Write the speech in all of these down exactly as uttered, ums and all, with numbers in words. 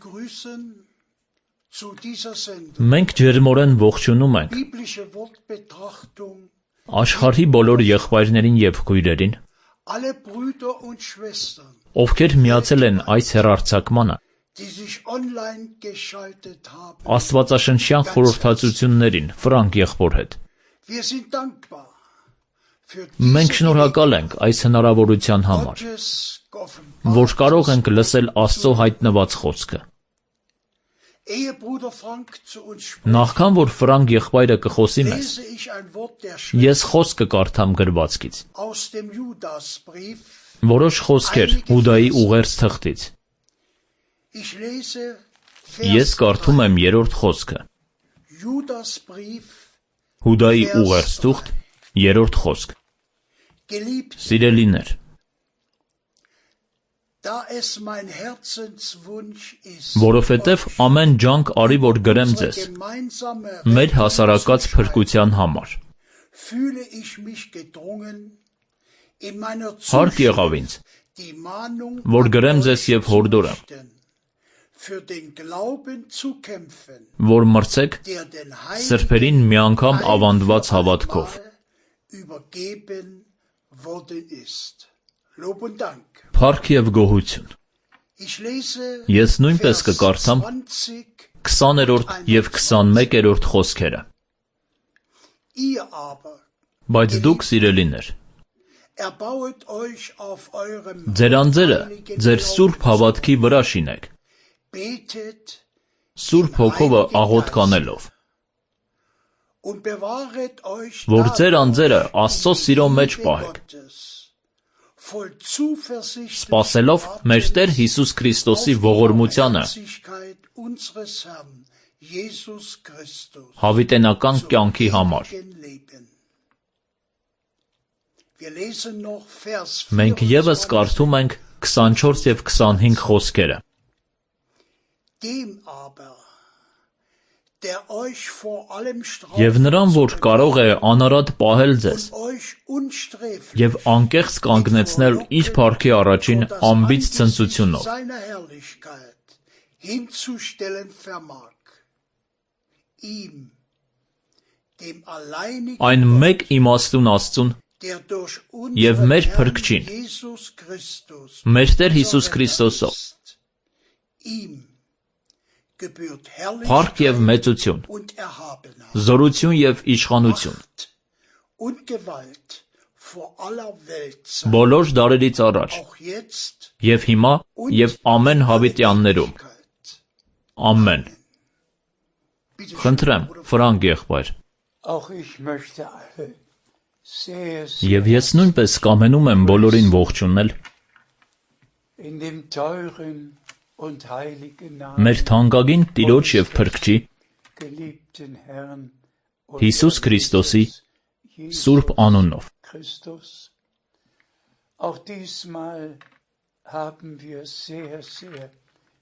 begrüßen zu dieser Sendung. Մենք ջերմորեն ողջունում ենք Biblische Wortbetrachtung. աշխարհի բոլոր եղբայրներին եւ քույրերին, Alle Brüder und Schwestern, ովքեր միացել են այս հեռարձակմանը, die sich online geschaltet haben. Աստվածաշնչյան խորհրդածություններին Ֆրանկ եղբոր հետ։ Wir sind dankbar für Մենք diese շնորհակալ ենք այս հնարավորության համար, Gottes որ կարող ենք lսել Աստծո հայտնված խոսքը։ Ehe Bruder Frank zu uns spricht, Նախքան որ Ֆրանկ եղբայրը կխոսի մեզ, lese ich ein Wort der ես Schrift խոսք կկարդամ գրվածքից, aus dem Judasbrief. որոշ խոսքեր Հուդայի ուղերձ թղթից։ Ich lese Ես Vers կարդում եմ երրորդ խոսքը, Judasbrief, Հուդայի ուղերձ թուղթ, երրորդ խոսք։ geliebt, Սիրելիներ, da es mein Herzenswunsch ist, որովհետև ամեն ջանք արի, որ գրեմ unsere ձեզ, gemeinsame մեր Rettung հասարակած zu schreiben, փրկության համար։ fühle ich mich gedrungen, in meiner Հարկ եղավ ինձ, Zuschrift die Mahnung որ an գրեմ euch ձեզ և zu հորդորեմ, richten, für den Glauben zu kämpfen, որ մրցեք der den սրբերին Heiligen մի անգամ ein ավանդված für հավատքով։ allemal übergeben worden ist. Lob und Dank. Փառք եւ գոհություն։ Ich lese Ես նույնպես Vers կկարդամ zwanzig. քսաներորդ եւ քսանմեկերորդ խոսքերը։ Ihr aber Բայց դուք սիրելիներ, erbauet euch auf eurem ձեր անձերը heiligen ձեր սուրբ Glauben, հավատքի վրա շինեք, betet սուրբ հոգովը աղոթք անելով, und bewahret euch որ ձեր dadurch անձերը Աստծո in սիրո die մեջ Liebe պահեք, Gottes, voll Zuversicht սպասելով մեր Տեր Հիսուս Քրիստոսի ողորմությանը unseres Herrn Jesus Christus հավիտենական կյանքի համար։ ewigen Leben. Wir lesen noch Vers Մենք եւս կարդում ենք քսանչորս եւ քսանհինգ խոսքերը։ Dem aber, der euch vor allem Եվ նրան, որ կարող է անարատ պահել ձեզ und euch unsträflich եւ անկեղծ կանգնեցնել իր փառքի առաջին vor das ամբից Angesicht ցնծությունով, seiner Herrlichkeit hinzustellen vermag, ihm, dem alleinigen այն Gott, մեկ իմաստուն Աստծուն, der durch Եվ unseren մեր Herrn փրկչին, Jesus Christus, մեր Տեր Հիսուս unser Քրիստոսով, Herr ist. Ihm gebührt փառք եւ Herrlichkeit մեծություն, und Erhabenheit, զորություն եւ իշխանություն, Macht und Gewalt vor aller Welt sein, բոլոր դարերից առաջ auch jetzt եւ հիմա und եւ ամեն in alle հավիտյաններում։ Ewigkeit. Ամեն։ Bitte schön, Խնդրեմ, Bruder Ֆրանկ եղբայր, Auch ich möchte alle sehr, sehr եւ ես նույնպես կամենում եմ բոլորին ողջունել in dem teuren und heiligen Namen մեր թանկագին Տիրոջ եւ Փրկչի geliebten Herrn und Հիսուս Քրիստոսի Jesus սուրբ անունով։ Christus. Auch diesmal haben wir sehr, sehr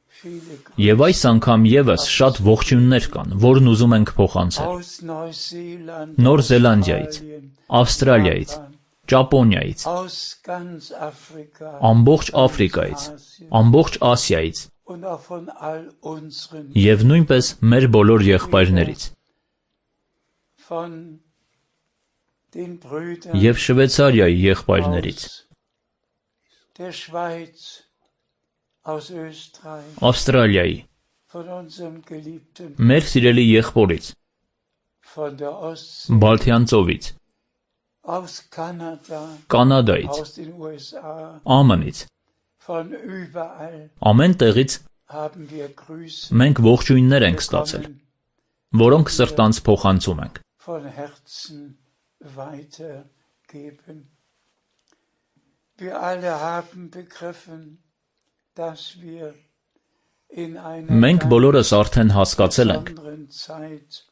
viele Եվ այս անգամ եւս շատ ողջույններ կան, որն ուզում ենք փոխանցել aus Neuseeland, Նոր Զելանդիայից, Australien, Ավստրալիայից, Japan, Ճապոնիայից, aus ganz Afrika, ամբողջ ganz Աֆրիկայից, Asien ամբողջ Ասիայից und auch von all unseren, եւ նույնպես մեր բոլոր եղբայրներից von den Brüdern եւ Շվեյցարիայի եղբայրներից, aus der Schweiz, aus Österreich, Ավստրալիայի, von unserem geliebten, մեր սիրելի եղբորից, von der Ostsee, Բալթյան ծովից, aus Kanada, Կանադայից, aus den U S A, ԱՄՆ-ից, von überall ամեն տեղից haben wir Grüße մենք ողջույններ ենք ստացել, bekommen, որոնք սրտանց փոխանցում ենք։ von Herzen weitergeben. Wir alle haben begriffen, dass wir in einer Մենք բոլորս արդեն հասկացել ենք, besonderen Zeit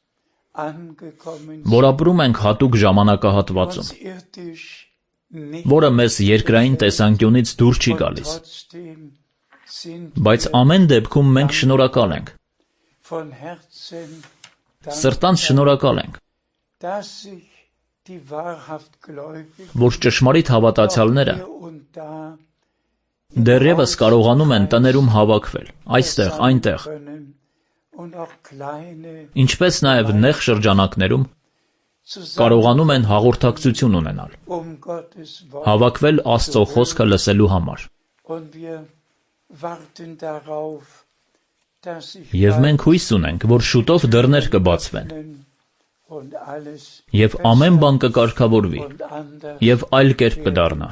angekommen որ sind, ապրում ենք հատուկ ժամանակահատվածում, uns irdisch nicht, որը մեզ երկրային տեսանկյունից դուր չի und գալիս, trotzdem sind բայց wir ամեն դեպքում մենք շնորհակալ ենք, von Herzen սրտանց dankbar, շնորհակալ ենք, dass sich die wahrhaft Gläubigen որ ճշմարիտ հավատացյալները hier und da Դեռևս կարողանում են տներում հավաքվել, այստեղ, այնտեղ, ինչպես նաև նեղ շրջանակներում կարողանում են հաղորդակցություն ունենալ, հավաքվել Աստծո խոսքը լսելու համար։ Եվ մենք հույս ունենք, որ շուտով դռներ կբացվեն, և ամեն բան կկարգավորվի, և այլ կերպ կդառնա։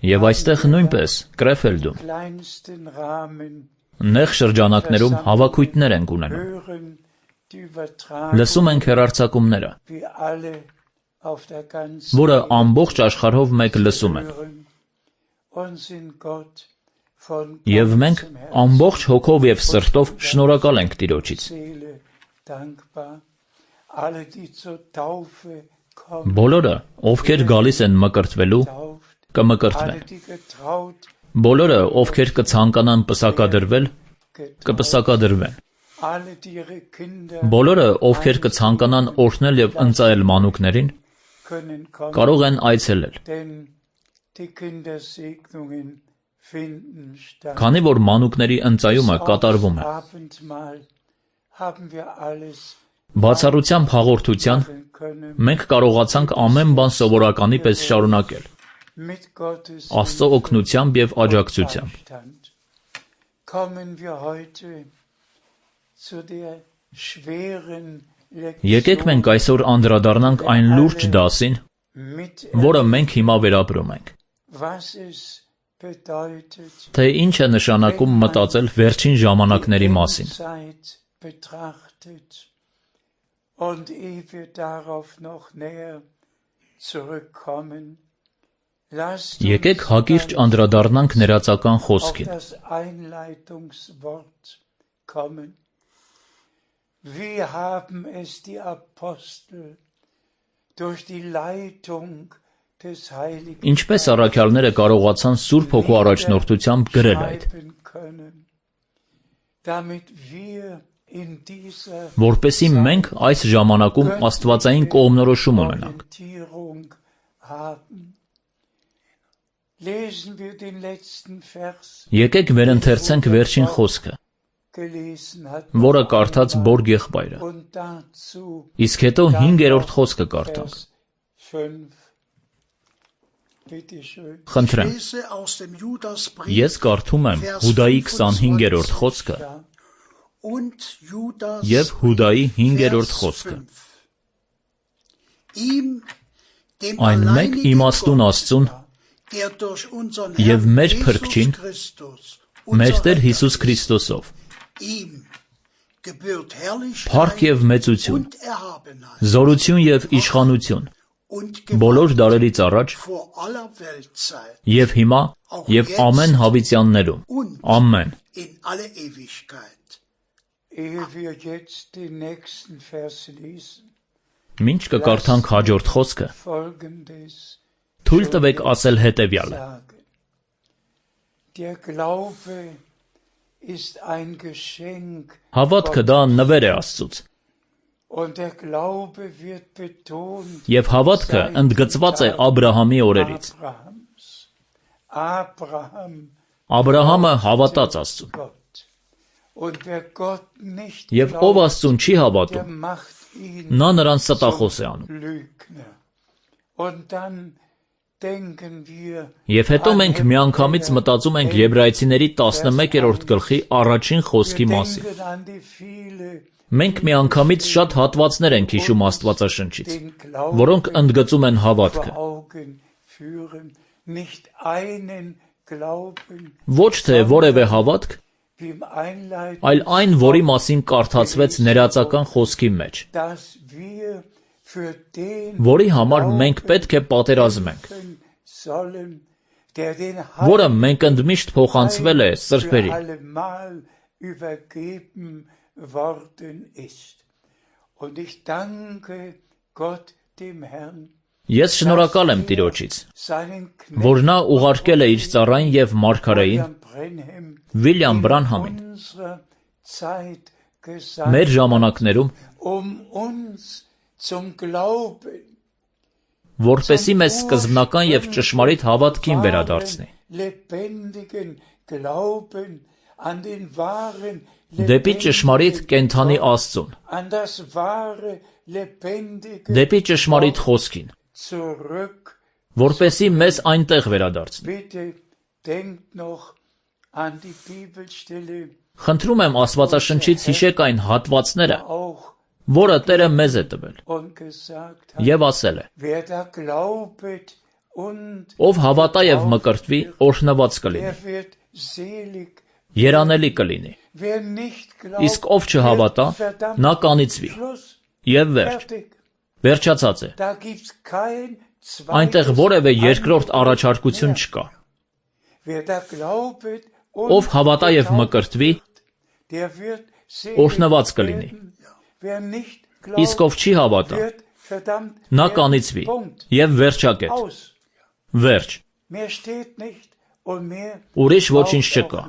Եվ այստեղ նույնպես, Կրեֆելդում, նեղ շրջանակներում հավաքույթներ ենք ունենում։ Լսում ենք հեռարձակումները, որը ամբողջ աշխարհով մեկ լսում են։ Եվ մենք ամբողջ հոգով և սրտով շնորհակալ ենք Տիրոջից։ Բոլորը, ովքեր գալիս են մկրտվելու, կմկրտվեն։ Բոլորը, ովքեր կցանկանան պսակադրվել, կպսակադրվեն։ Բոլորը, ովքեր կցանկանան օրհնել և ընծայել մանուկներին, կարող են այցելել։ Քանի որ մանուկների ընծայումը կատարվում է։ Բացառությամբ հաղորդության, մենք կարողացանք ամեն բան սովորականի պես շարունակել, Աստծո օգնությամբ և աջակցությամբ։ Եկեք մենք այսօր անդրադառնանք այն լուրջ դասին, որը մենք հիմա վերապրում ենք։ Թե ինչ է նշանակում մտածել վերջին ժամանակների մասին։ Եկեք հակիրճ անդրադառնանք ներածական խոսքին։ Ինչպես առաքյալները կարողացան Սուրբ Հոգու առաջնորդությամբ գրել այդ, որպեսզի մենք այս ժամանակում աստվածային կողմնորոշում ունենանք։ Եկեք վերընթերցենք վերջին խոսքը, որը կարդաց Բորգ եղբայրը, իսկ հետո հինգերորդ խոսքը կարդանք։ Խնդրեմ, ես կարդում եմ Հուդայի քսանհինգերորդ խոսքը և Հուդայի հինգերորդ խոսքը։ Այն մեկ իմաստուն Աստծուն և մեր Փրկչին, մեր Տեր Հիսուս Քրիստոսով, փառք և մեծություն, զորություն և իշխանություն բոլոր դարերից առաջ և հիմա և ամեն հավիտյաններում, ամեն։ Մինչ կկարդանք հաջորդ խոսքը, թույլ տվեք ասել հետևյալը. Հավատքը դա նվեր է Աստծուց, և հավատքը ընդգծված է Աբրահամի օրերից։ Աբրահամը հավատաց Աստծուն, և ով Աստծուն չի հավատում, նա նրան ստախոս է անում։ Եվ հետո մենք միանգամից մտածում ենք Եբրայեցիների տասնմեկերորդ գլխի առաջին խոսքի մասին։ Մենք միանգամից շատ հատվածներ ենք հիշում Աստվածաշնչից, որոնք ընդգծում են հավատքը։ Ոչ թե որևէ հավատք, այլ այն, որի մասին կարդացվեց ներածական խոսքի մեջ, որի համար մենք պետք է պատերազմենք, որը մենք ընդմիշտ փոխանցվել է սրբերին։ Ես շնորհակալ եմ Տիրոջից, որ նա ուղարկել է իր ծառային և մարգարեին Վիլյամ Բրանհամին մեր ժամանակներում, որպեսզի մեզ սկզբնական և ճշմարիտ հավատքին վերադարձնի, դեպի ճշմարիտ կենդանի Աստծուն, դեպի ճշմարիտ խոսքին, որպեսզի մեզ այնտեղ վերադարձնի։ Խնդրում եմ Աստվածաշնչից հիշեք այն հատվածները, որը Տերը մեզ է տվել, և ասել է. ով հավատա և մկրտվի, օրհնված կլինի, երանելի կլինի, իսկ ով չհավատա, նա կանիծվի, և վերջ, վերջացած է։ Այնտեղ որևէ երկրորդ առաջարկություն չկա։ Ով հավատա և մկրտվի, օրհնված կլինի, իսկ ով չի հավատա, նա կանիծվի, և վերջակետ, վերջ, ուրիշ ոչինչ չկա,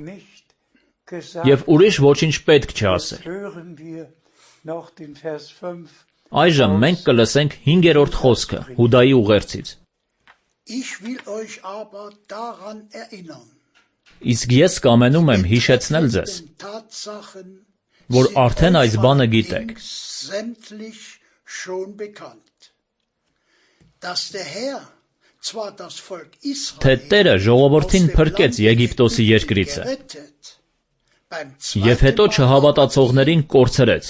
և ուրիշ ոչինչ պետք չէ ասել։ Այժմ մենք կլսենք հինգերորդ խոսքը Հուդայի ուղերձից։ Իսկ ես կամենում եմ հիշեցնել ձեզ, որ արդեն այս բանը գիտեք, թե Տերը ժողովրդին փրկեց Եգիպտոսի երկրիցը, և հետո չհավատացողներին կորցրեց։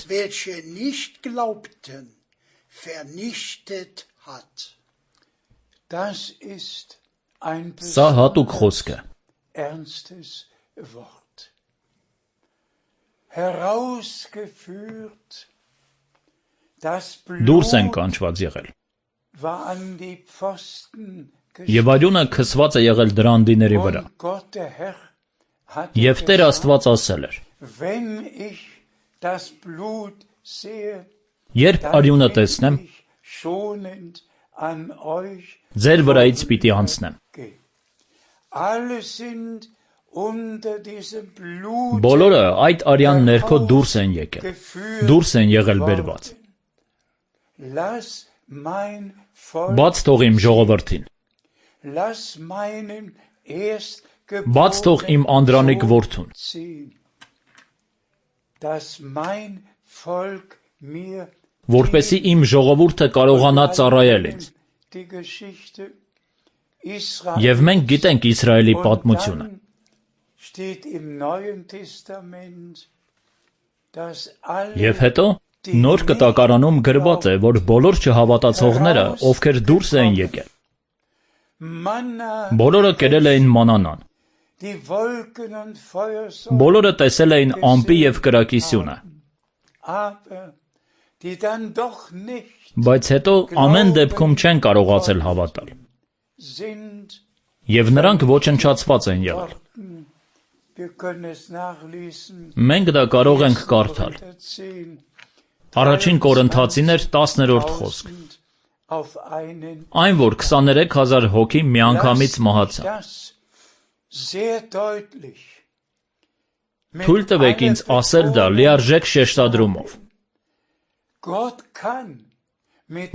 Սա հատուկ խոսք է։ Դուրս են կանչված եղել, և արյունը քսված է եղել դրանդիների վրա, և Տեր Աստված ասել էր. երբ արյունը տեսնեմ, ձեր վրայից պիտի անցնեմ։ Բոլորը այդ արյան ներքո դուրս են եկել, դուրս են եղել բերված։ Բաց թող իմ ժողովրդին, բաց թող իմ անդրանիկ որդուն, որպեսզի իմ ժողովուրդը կարողանա ծառայել ինձ։ Եվ մենք գիտենք Իսրայելի պատմությունը։ Եվ հետո Նոր Կտակարանում գրված է, որ բոլոր չհավատացողները, ովքեր դուրս էին եկել, բոլորը կերել էին մանանան, բոլորը տեսել էին ամպի և կրակի սյունը, բայց հետո ամեն դեպքում չեն կարողացել հավատալ, և նրանք ոչնչացված են եղել։ Մենք դա կարող ենք կարդալ։ Առաջին Կորնթացիներ տասներորդ խոսք։ Այն, որ քսաներեք հազար հոգի միանգամից մահացան։ Թույլ տվեք ինձ ասել դա լիարժեք շեշտադրումով,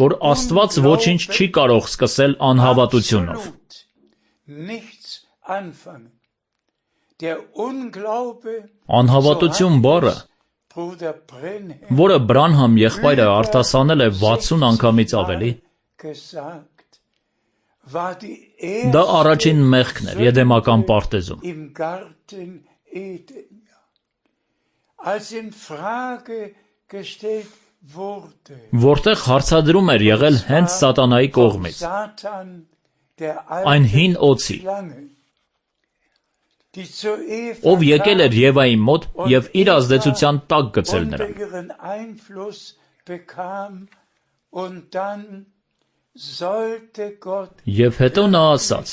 որ Աստված ոչինչ չի կարող սկսել անհավատությունով։ Անհավատություն բառը, որը Բրանհամ եղբայրը արտասանել է վաթսուն անգամից ավելի, դա առաջին մեղքն էր Եդեմական պարտեզում։ Որտեղ հարցադրում էր եղել հենց սատանայի կողմից, այն հին օձի, ով եկել էր Եվայի մոտ և իր ազդեցության տակ գցել նրան։ Եվ հետո նա ասաց.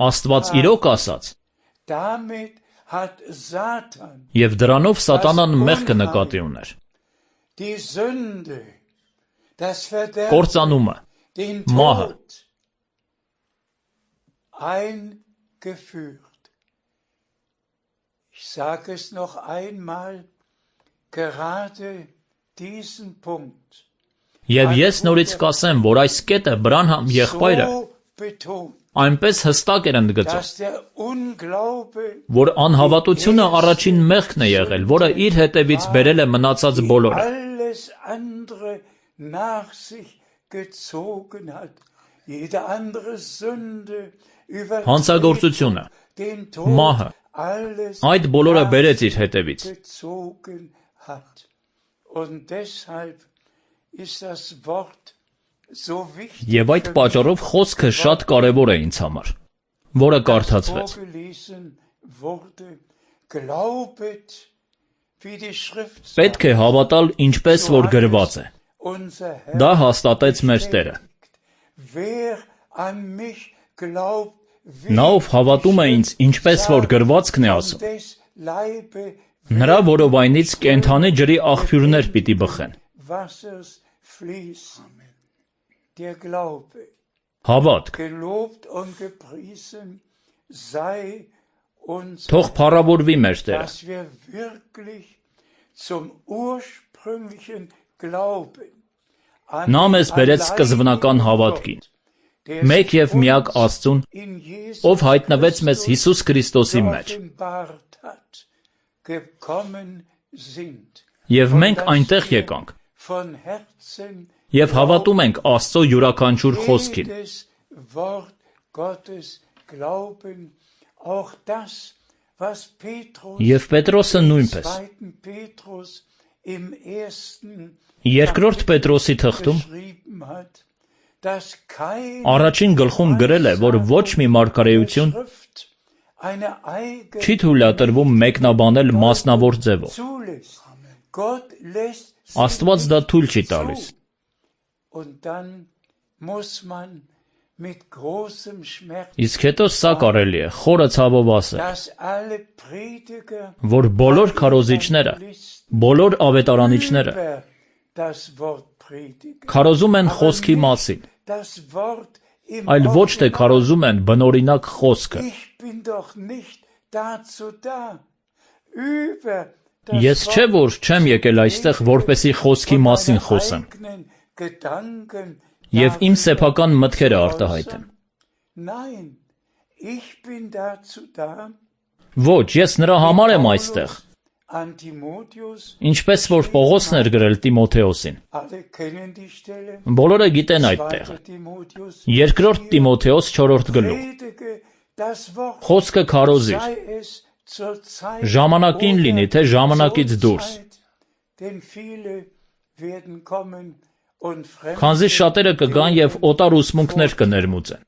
Աստված իրոք ասաց, և դրանով սատանան մեղքը նկատի ուներ, կործանումը, մահը։ Ich sage es noch einmal, gerade diesen Punkt Եվ ես նորից կասեմ, որ այս կետը Բրանհամ եղբայրը այնպես հստակ էր ընդգծում, որ անհավատությունը առաջին մեղքն է եղել, որը իր հետևից բերել է մնացած բոլորը։ Հանցագործությունը, մահը, այդ բոլորը բերեց իր հետևից։ Եվ այդ պատճառով խոսքը շատ կարևոր է ինձ համար, որը կարդացվեց. Պետք է հավատալ ինչպես որ գրված է։ Դա հաստատեց մեր Տերը։ Նա ով հավատում է ինձ, ինչպես որ գրվածքն է ասում, նրա որովայնից կենդանի ջրի աղբյուրներ պիտի բխեն։ Հավատք։ Թող փառավորվի մեր Տերը։ Նա մեզ բերեց սկզբնական հավատքին, մեկ և միակ Աստծուն, ով հայտնվեց մեզ Հիսուս Քրիստոսի մեջ։ Եվ մենք այնտեղ եկանք, և հավատում ենք Աստծո յուրաքանչյուր խոսքին։ Եվ Պետրոսը նույնպես։ Երկրորդ Պետրոսի թղթում առաջին գլխում գրել է, որ ոչ մի մարգարեություն չի թույլատրվում մեկնաբանել մասնավոր ձևով։ Աստված դա թույլ չի տալիս։ Իսկ հետո սա կարելի է խորը ցավով ասել, որ բոլոր քարոզիչները, բոլոր ավետարանիչները քարոզում են խոսքի մասին, այլ ոչ թե քարոզում են բնօրինակ խոսքը։ Ես չէ որ չեմ եկել այստեղ, որպեսզի խոսքի մասին խոսեմ և իմ սեփական մտքերը արտահայտեմ։ Ոչ, ես նրա համար եմ այստեղ, ինչպես որ Պողոսն էր գրել Տիմոթեոսին։ Բոլորը գիտեն այդ տեղը։ Երկրորդ Տիմոթեոս չորրորդ գլուխ։ Խոսքը քարոզիր, ժամանակին լինի, թե ժամանակից դուրս։ Քանզի շատերը կգան և օտար ուսմունքներ կներմուծեն։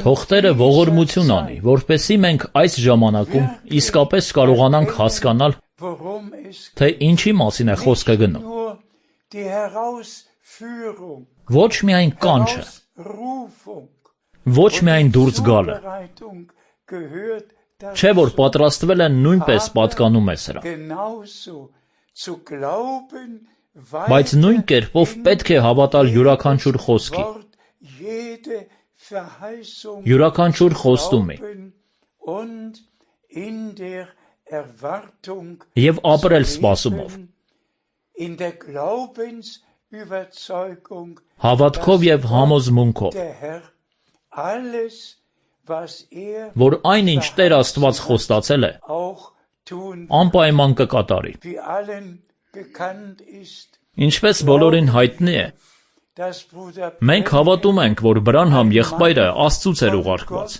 Թող Տերը ողորմություն անի, որպեսզի մենք այս ժամանակում իսկապես կարողանանք հասկանալ, թե ինչի մասին է խոսքը գնում։ Ոչ միայն կանչը, ոչ միայն դուրս գալը, չէ որ պատրաստվել են նույնպես պատկանում է սրա։ Բայց նույն կերպով պետք է հավատալ յուրաքանչյուր խոսքի, յուրաքանչյուր խոստումի և ապրել սպասումով, հավատքով և համոզմունքով, որ այն ինչ Տեր Աստված խոստացել է, անպայման կկատարի։ Ինչպես բոլորին հայտնի է, մենք հավատում ենք, որ Բրանհամ եղբայրը Աստծուց էր ուղարկված։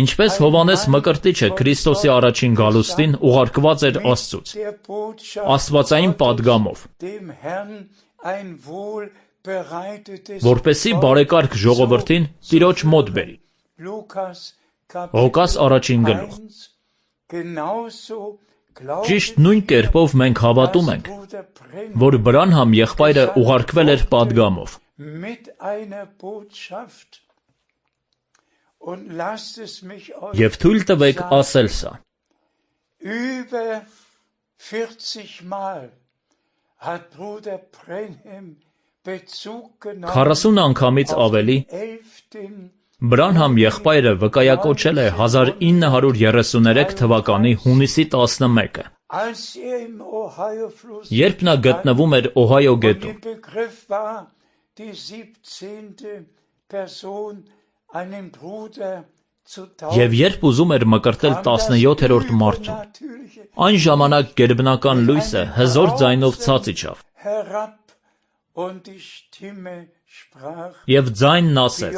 Ինչպես Հովհաննես Մկրտիչը Քրիստոսի առաջին գալուստին ուղարկված էր Աստծուց, աստվածային պատգամով, որպեսզի բարեկարգ ժողովրդին Տիրոջ մոտ բերի։ Ղուկաս առաջին գլուխ։ Ճիշտ նույն կերպով մենք հավատում ենք, որ Բրանհամ եղբայրը ուղարկվել էր պատգամով։ Եվ թույլ տվեք ասել սա. քառասուն անգամից ավելի Բրանհամ եղբայրը վկայակոչել է հազար ինը հարյուր երեսուներեք թվականի հունիսի տասնմեկը, երբ նա գտնվում էր Օհայո գետում, և երբ ուզում էր մկրտել տասնյոթերորդ մարդուն, այն ժամանակ գերբնական լույսը հզոր ձայնով ցած իջավ, և ձայնն ասեց.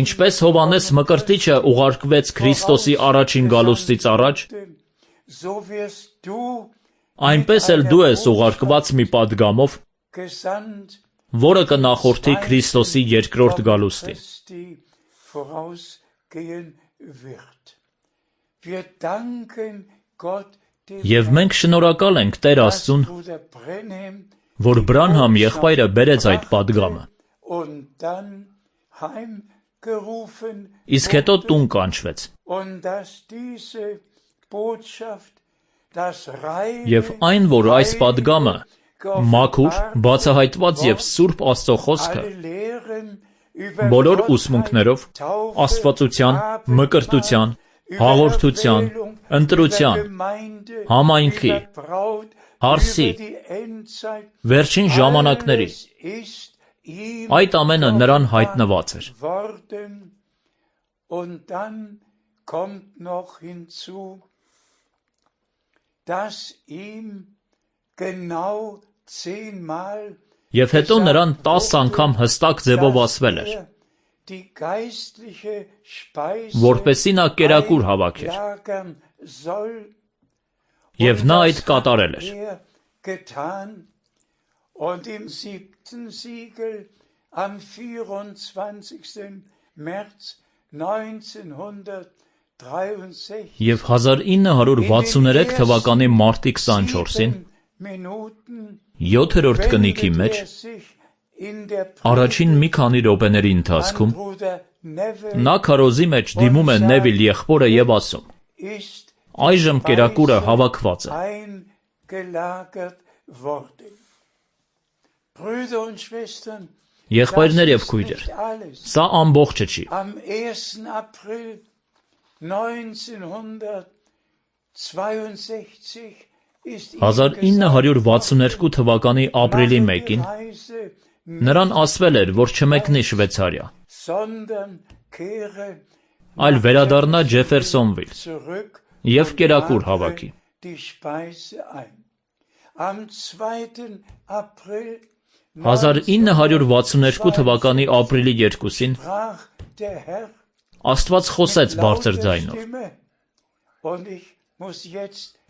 Ինչպես Հովհաննես Մկրտիչը ուղարկվեց Քրիստոսի առաջին գալուստից առաջ, այնպես էլ դու ես ուղարկված մի պատգամով, որը կնախորդի Քրիստոսի երկրորդ գալուստին։ Եվ մենք շնորհակալ ենք Տեր Աստծուն, որ Բրանհամ եղբայրը բերեց այդ պատգամը, իսկ հետո տուն կանչվեց։ Եվ այն, որ այս պատգամը մաքուր, բացահայտված և սուրբ Աստծո խոսքը բոլոր ուսմունքներով, աստվածության, մկրտության, հաղորդության, ընտրության, համայնքի, հարսի, վերջին ժամանակների, այդ ամենը նրան հայտնված էր։ Եվ հետո նրան տասը անգամ հստակ ձևով ասվել էր, որպեսզի նա կերակուր հավաքեր, և նա այդ կատարել էր։ Եվ հազար ինը հարյուր վաթսուներեք թվականի մարտի քսանչորսին, յոթերորդ կնիքի մեջ, առաջին մի քանի րոպեների ընթացքում, նա քարոզի մեջ դիմում է Նևիլ եղբորը և ասում. այժմ կերակուրը հավաքված է։ Եղբայրներ և քույրեր, սա ամբողջը չի։ հազար ինը հարյուր վաթսուներկու թվականի ապրիլի մեկին նրան ասվել էր, որ չմեկնի Շվեյցարիա, այլ վերադառնա Ջեֆերսոնվիլ և կերակուր հավաքի։ հազար ինը հարյուր վաթսուներկու թվականի ապրիլի երկուսին Աստված խոսեց բարձր ձայնով։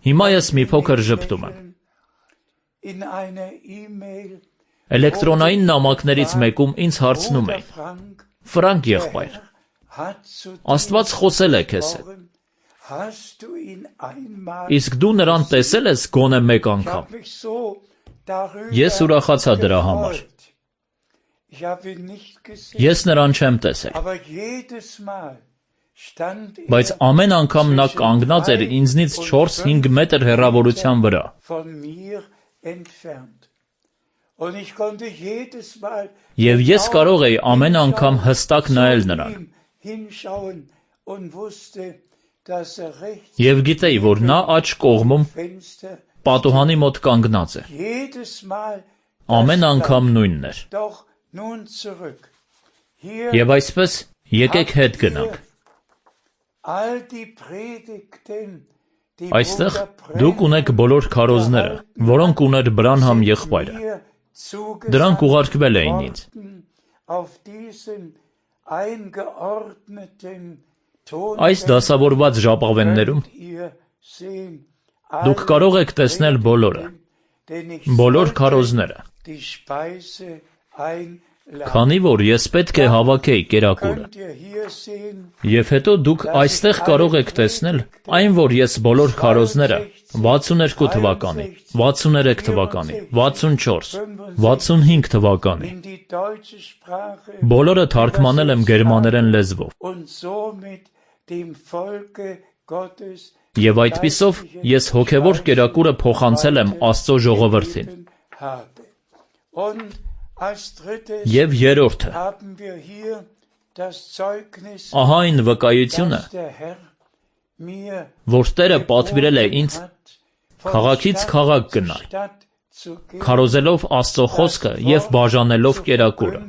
Հիմա ես մի փոքր ժպտում եմ։ Էլեկտրոնային նամակներից մեկում ինձ հարցնում էին. Ֆրանկ եղբայր, Աստված խոսել է քեզ հետ։ Իսկ դու նրան տեսել ես գոնե մեկ անգամ։ Ես ուրախացա դրա համար։ Ես նրան չեմ տեսել։ Բայց ամեն անգամ նա կանգնած էր ինձնից չորս-հինգ մետր հեռավորության վրա։ Եվ ես կարող էի ամեն անգամ հստակ նայել նրան։ Եվ գիտեի, որ նա աջ կողմում պատուհանի մոտ կանգնած է։ Ամեն անգամ նույնն էր։ Եվ այսպես եկեք հետ գնանք։ Այստեղ դուք ունեք բոլոր քարոզները, որոնք ուներ Բրանհամ եղբայրը։ Դրանք ուղարկվել էին ինձ։ Այս դասավորված ժապավեններում դուք կարող եք տեսնել բոլորը, բոլոր քարոզները, քանի որ ես պետք է հավաքեի կերակուրը։ Եվ հետո դուք այստեղ կարող եք տեսնել այն, որ ես բոլոր քարոզները վաթսուներկու թվականի, վաթսուներեք թվականի, վաթսունչորս, վաթսունհինգ թվականի բոլորը թարգմանել եմ գերմաներեն լեզվով։ Եվ այդպիսով ես հոգևոր կերակուրը փոխանցել եմ Աստծո ժողովրդին։ Եվ երրորդը, ահա այն վկայությունը, որ Տերը պատվիրել է ինձ քաղաքից քաղաք գնալ, քարոզելով Աստծո խոսքը և բաժանելով կերակուրը։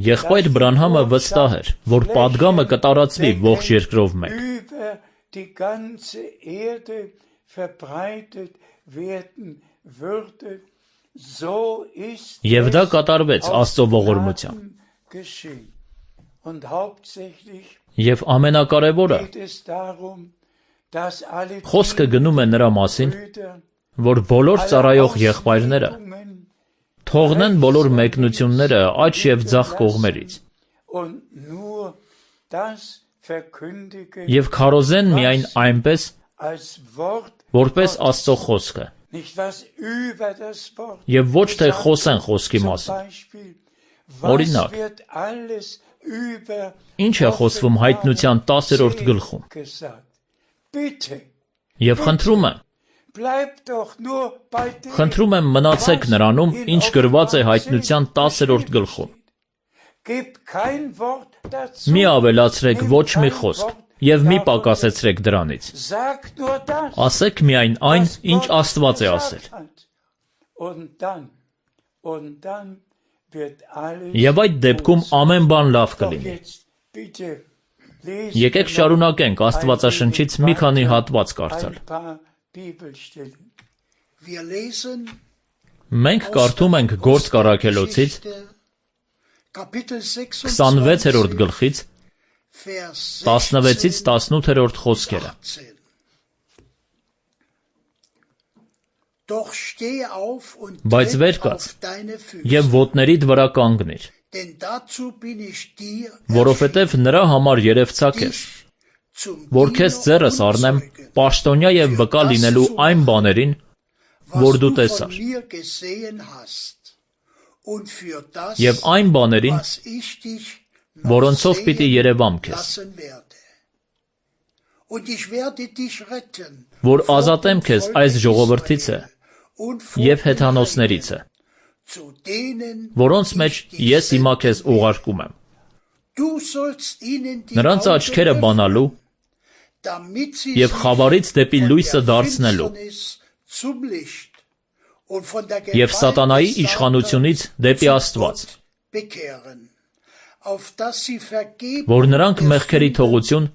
Եղբայր Բրանհամը վստահ էր, որ պատգամը կտարածվի ողջ երկրով մեկ։ Եվ դա կատարվեց Աստծո ողորմությամբ։ Եվ ամենակարևորը, խոսքը գնում է նրա մասին, որ բոլոր ծառայող եղբայրները թողնեն բոլոր մեկնությունները աջ և ձախ կողմերից և քարոզեն միայն այնպես, որպես Աստծո խոսքը, և ոչ թե խոսեն խոսքի մասին։ Օրինակ, ինչ է խոսվում Հայտնության տասերորդ գլխում։ Եվ խնդրում եմ, խնդրում եմ մնացեք նրանում, ինչ գրված է Հայտնության տասերորդ գլխում։ Մի ավելացրեք ոչ մի խոսք և մի պակասեցրեք դրանից։ Ասեք միայն այն, ինչ Աստված է ասել։ Եվ այդ դեպքում ամեն բան լավ կլինի։ Եկեք շարունակենք Աստվածաշնչից մի քանի հատված կարդալ։ Մենք կարդում ենք Գործք առաքելոցից քսանվեցերորդ գլխից տասնվեցից տասնութերորդ խոսքերը։ Բայց վեր կաց և ոտներիդ վրա կանգնիր, որովհետև նրա համար երևցա քեզ, որ քեզ ձեռս առնեմ պաշտոնյա և վկա լինելու այն բաներին, որ դու տեսար, և այն բաներին, որոնցով պիտի երևամ քեզ, որ ազատեմ քեզ այս ժողովրդիցը և հեթանոսներիցը, որոնց մեջ ես հիմա քեզ ուղարկում եմ, նրանց աչքերը բանալու և խավարից դեպի լույսը դարձնելու և սատանայի իշխանությունից դեպի Աստված, որ նրանք մեղքերի թողություն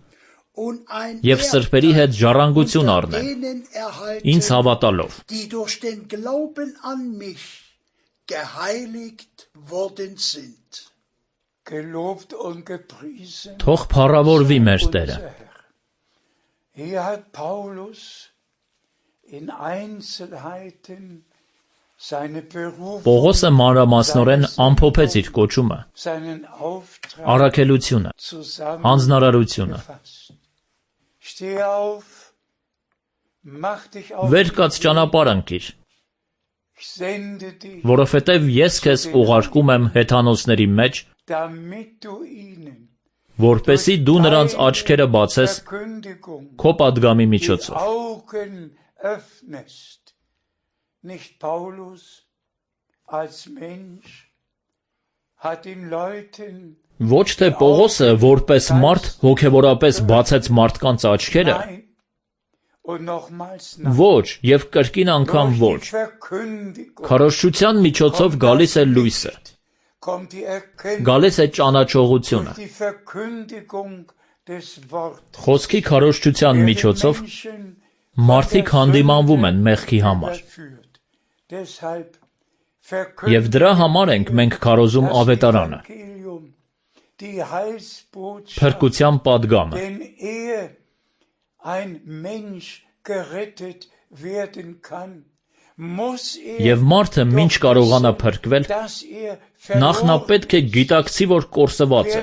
և սրբերի հետ ժառանգություն առնեն, ինձ հավատալով։ Թող փառավորվի մեր Տերը։ Պողոսը մանրամասնորեն ամփոփեց իր կոչումը, առաքելությունը, հանձնարարությունը։ Վեր կաց ճանապարհ ընկիր, որովհետև ես քեզ ուղարկում եմ հեթանոսների մեջ, որպեսզի դու նրանց աչքերը բացես քո պատգամի միջոցով։ Ոչ թե Պողոսը որպես մարդ հոգևորապես բացեց մարդկանց աչքերը, ոչ և կրկին անգամ ոչ, քարոզչության միջոցով գալիս է լույսը, գալիս է ճանաչողությունը, խոսքի քարոզչության միջոցով մարդիկ հանդիմանվում են մեղքի համար, և դրա համար ենք մենք քարոզում ավետարանը, փրկության պատգամը։ Եվ մարդը մինչ կարողանա փրկվել, նախ նա պետք է գիտակցի, որ կորսված է։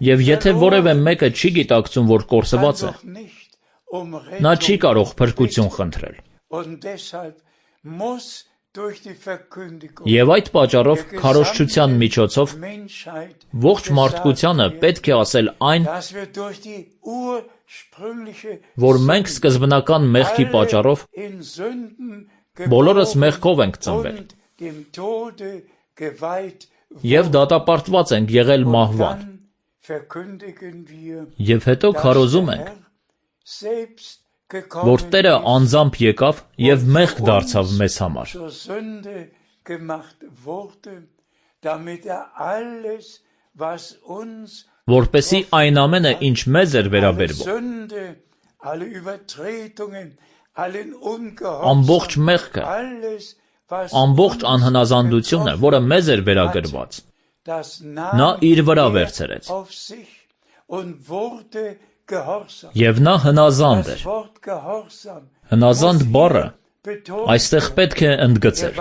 Եվ եթե որևէ մեկը չի գիտակցում, որ կորսված է, նա չի կարող փրկություն խնդրել։ Եվ այդ պատճառով քարոզչության միջոցով ողջ մարդկությանը պետք է ասել այն, որ մենք սկզբնական մեղքի պատճառով բոլորս մեղքով ենք ծնվել և դատապարտված ենք եղել մահվան, և հետո քարոզում ենք, որ Տերը անձամբ եկավ և մեղք դարձավ մեզ համար, որպեսզի այն ամենը, ինչ մեզ էր վերաբերվում, ամբողջ մեղքը, ամբողջ անհնազանդությունը, որը մեզ էր վերագրված, նա իր վրա վերցրեց, և նա հնազանդ էր։ Հնազանդ բառը այստեղ պետք է ընդգծել։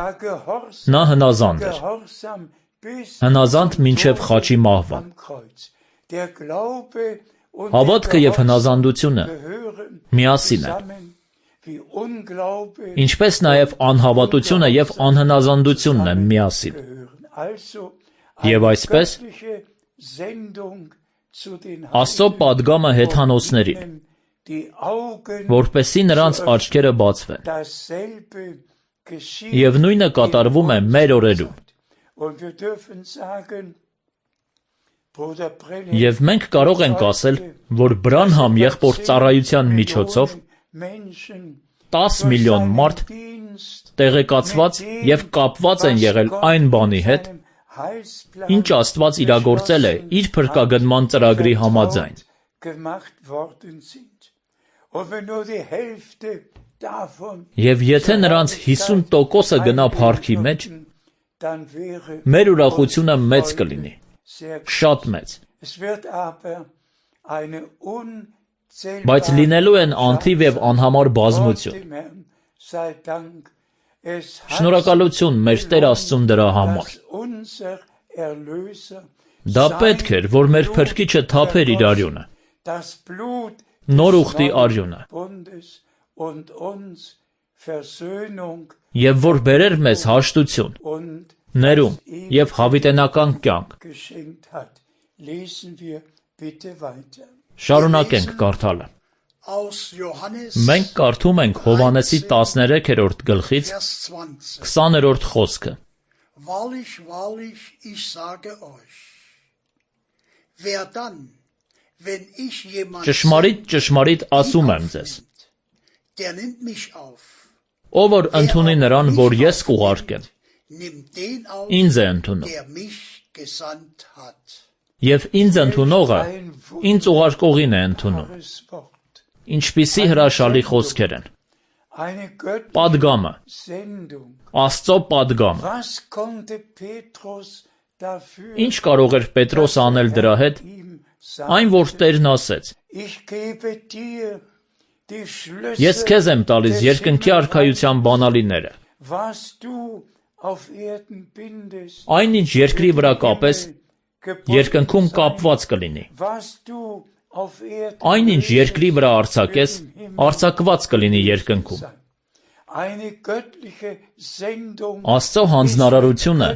Նա հնազանդ էր։ Հնազանդ մինչև խաչի մահվան։ Հավատքը և հնազանդությունը միասին են, ինչպես նաև անհավատությունը և անհնազանդությունն են միասին։ Եվ այսպես, Աստծո պատգամը հեթանոսներին, որպեսզի նրանց աչքերը բացվեն, և նույնը կատարվում է մեր օրերում։ Եվ մենք կարող ենք ասել, որ Բրանհամ եղբոր ծառայության միջոցով տաս միլիոն մարդ տեղեկացված և կապված են եղել այն բանի հետ, ինչ Աստված իրագործել է իր փրկագնման ծրագրի համաձայն։ Եվ եթե նրանց հիսուն տոկոսը գնա փառքի մեջ, մեր ուրախությունը մեծ կլինի, շատ մեծ։ Բայց լինելու են անթիվ և անհամար բազմություն։ Շնորհակալություն մեր Տեր Աստծուն դրա համար։ Դա պետք էր, որ մեր Փրկիչը թափեր իր արյունը, նոր ուխտի արյունը, և որ բերեր մեզ հաշտություն, ներում և հավիտենական կյանք։ Շարունակենք կարդալը։ Մենք կարդում ենք Հովհաննեսի տասներեքերորդ գլխից քսաներորդ խոսքը։ Wahrlich, wahrlich, ich sage euch, wer dann, wenn ich jemand Ճշմարիտ, ճշմարիտ ասում եմ ձեզ, der nimmt mich auf, ով որ ընդունի նրան, որ ես կուղարկեմ, nimmt den auf, ինձ է ընդունում, der mich gesandt hat. և ինձ ընդունողը ինձ ուղարկողին է ընդունում։ Ինչպիսի հրաշալի խոսքեր են։ Պատգամը, Աստծո պատգամը։ Ինչ կարող էր Պետրոսը անել դրա հետ, այն որ Տերն ասեց. Ես քեզ եմ տալիս երկնքի արքայության բանալիները։ Այն ինչ երկրի վրա կապես, երկնքում կապված կլինի։ Այն ինչ երկրի վրա արձակես, արձակված կլինի երկնքում։ Աստծո հանձնարարությունը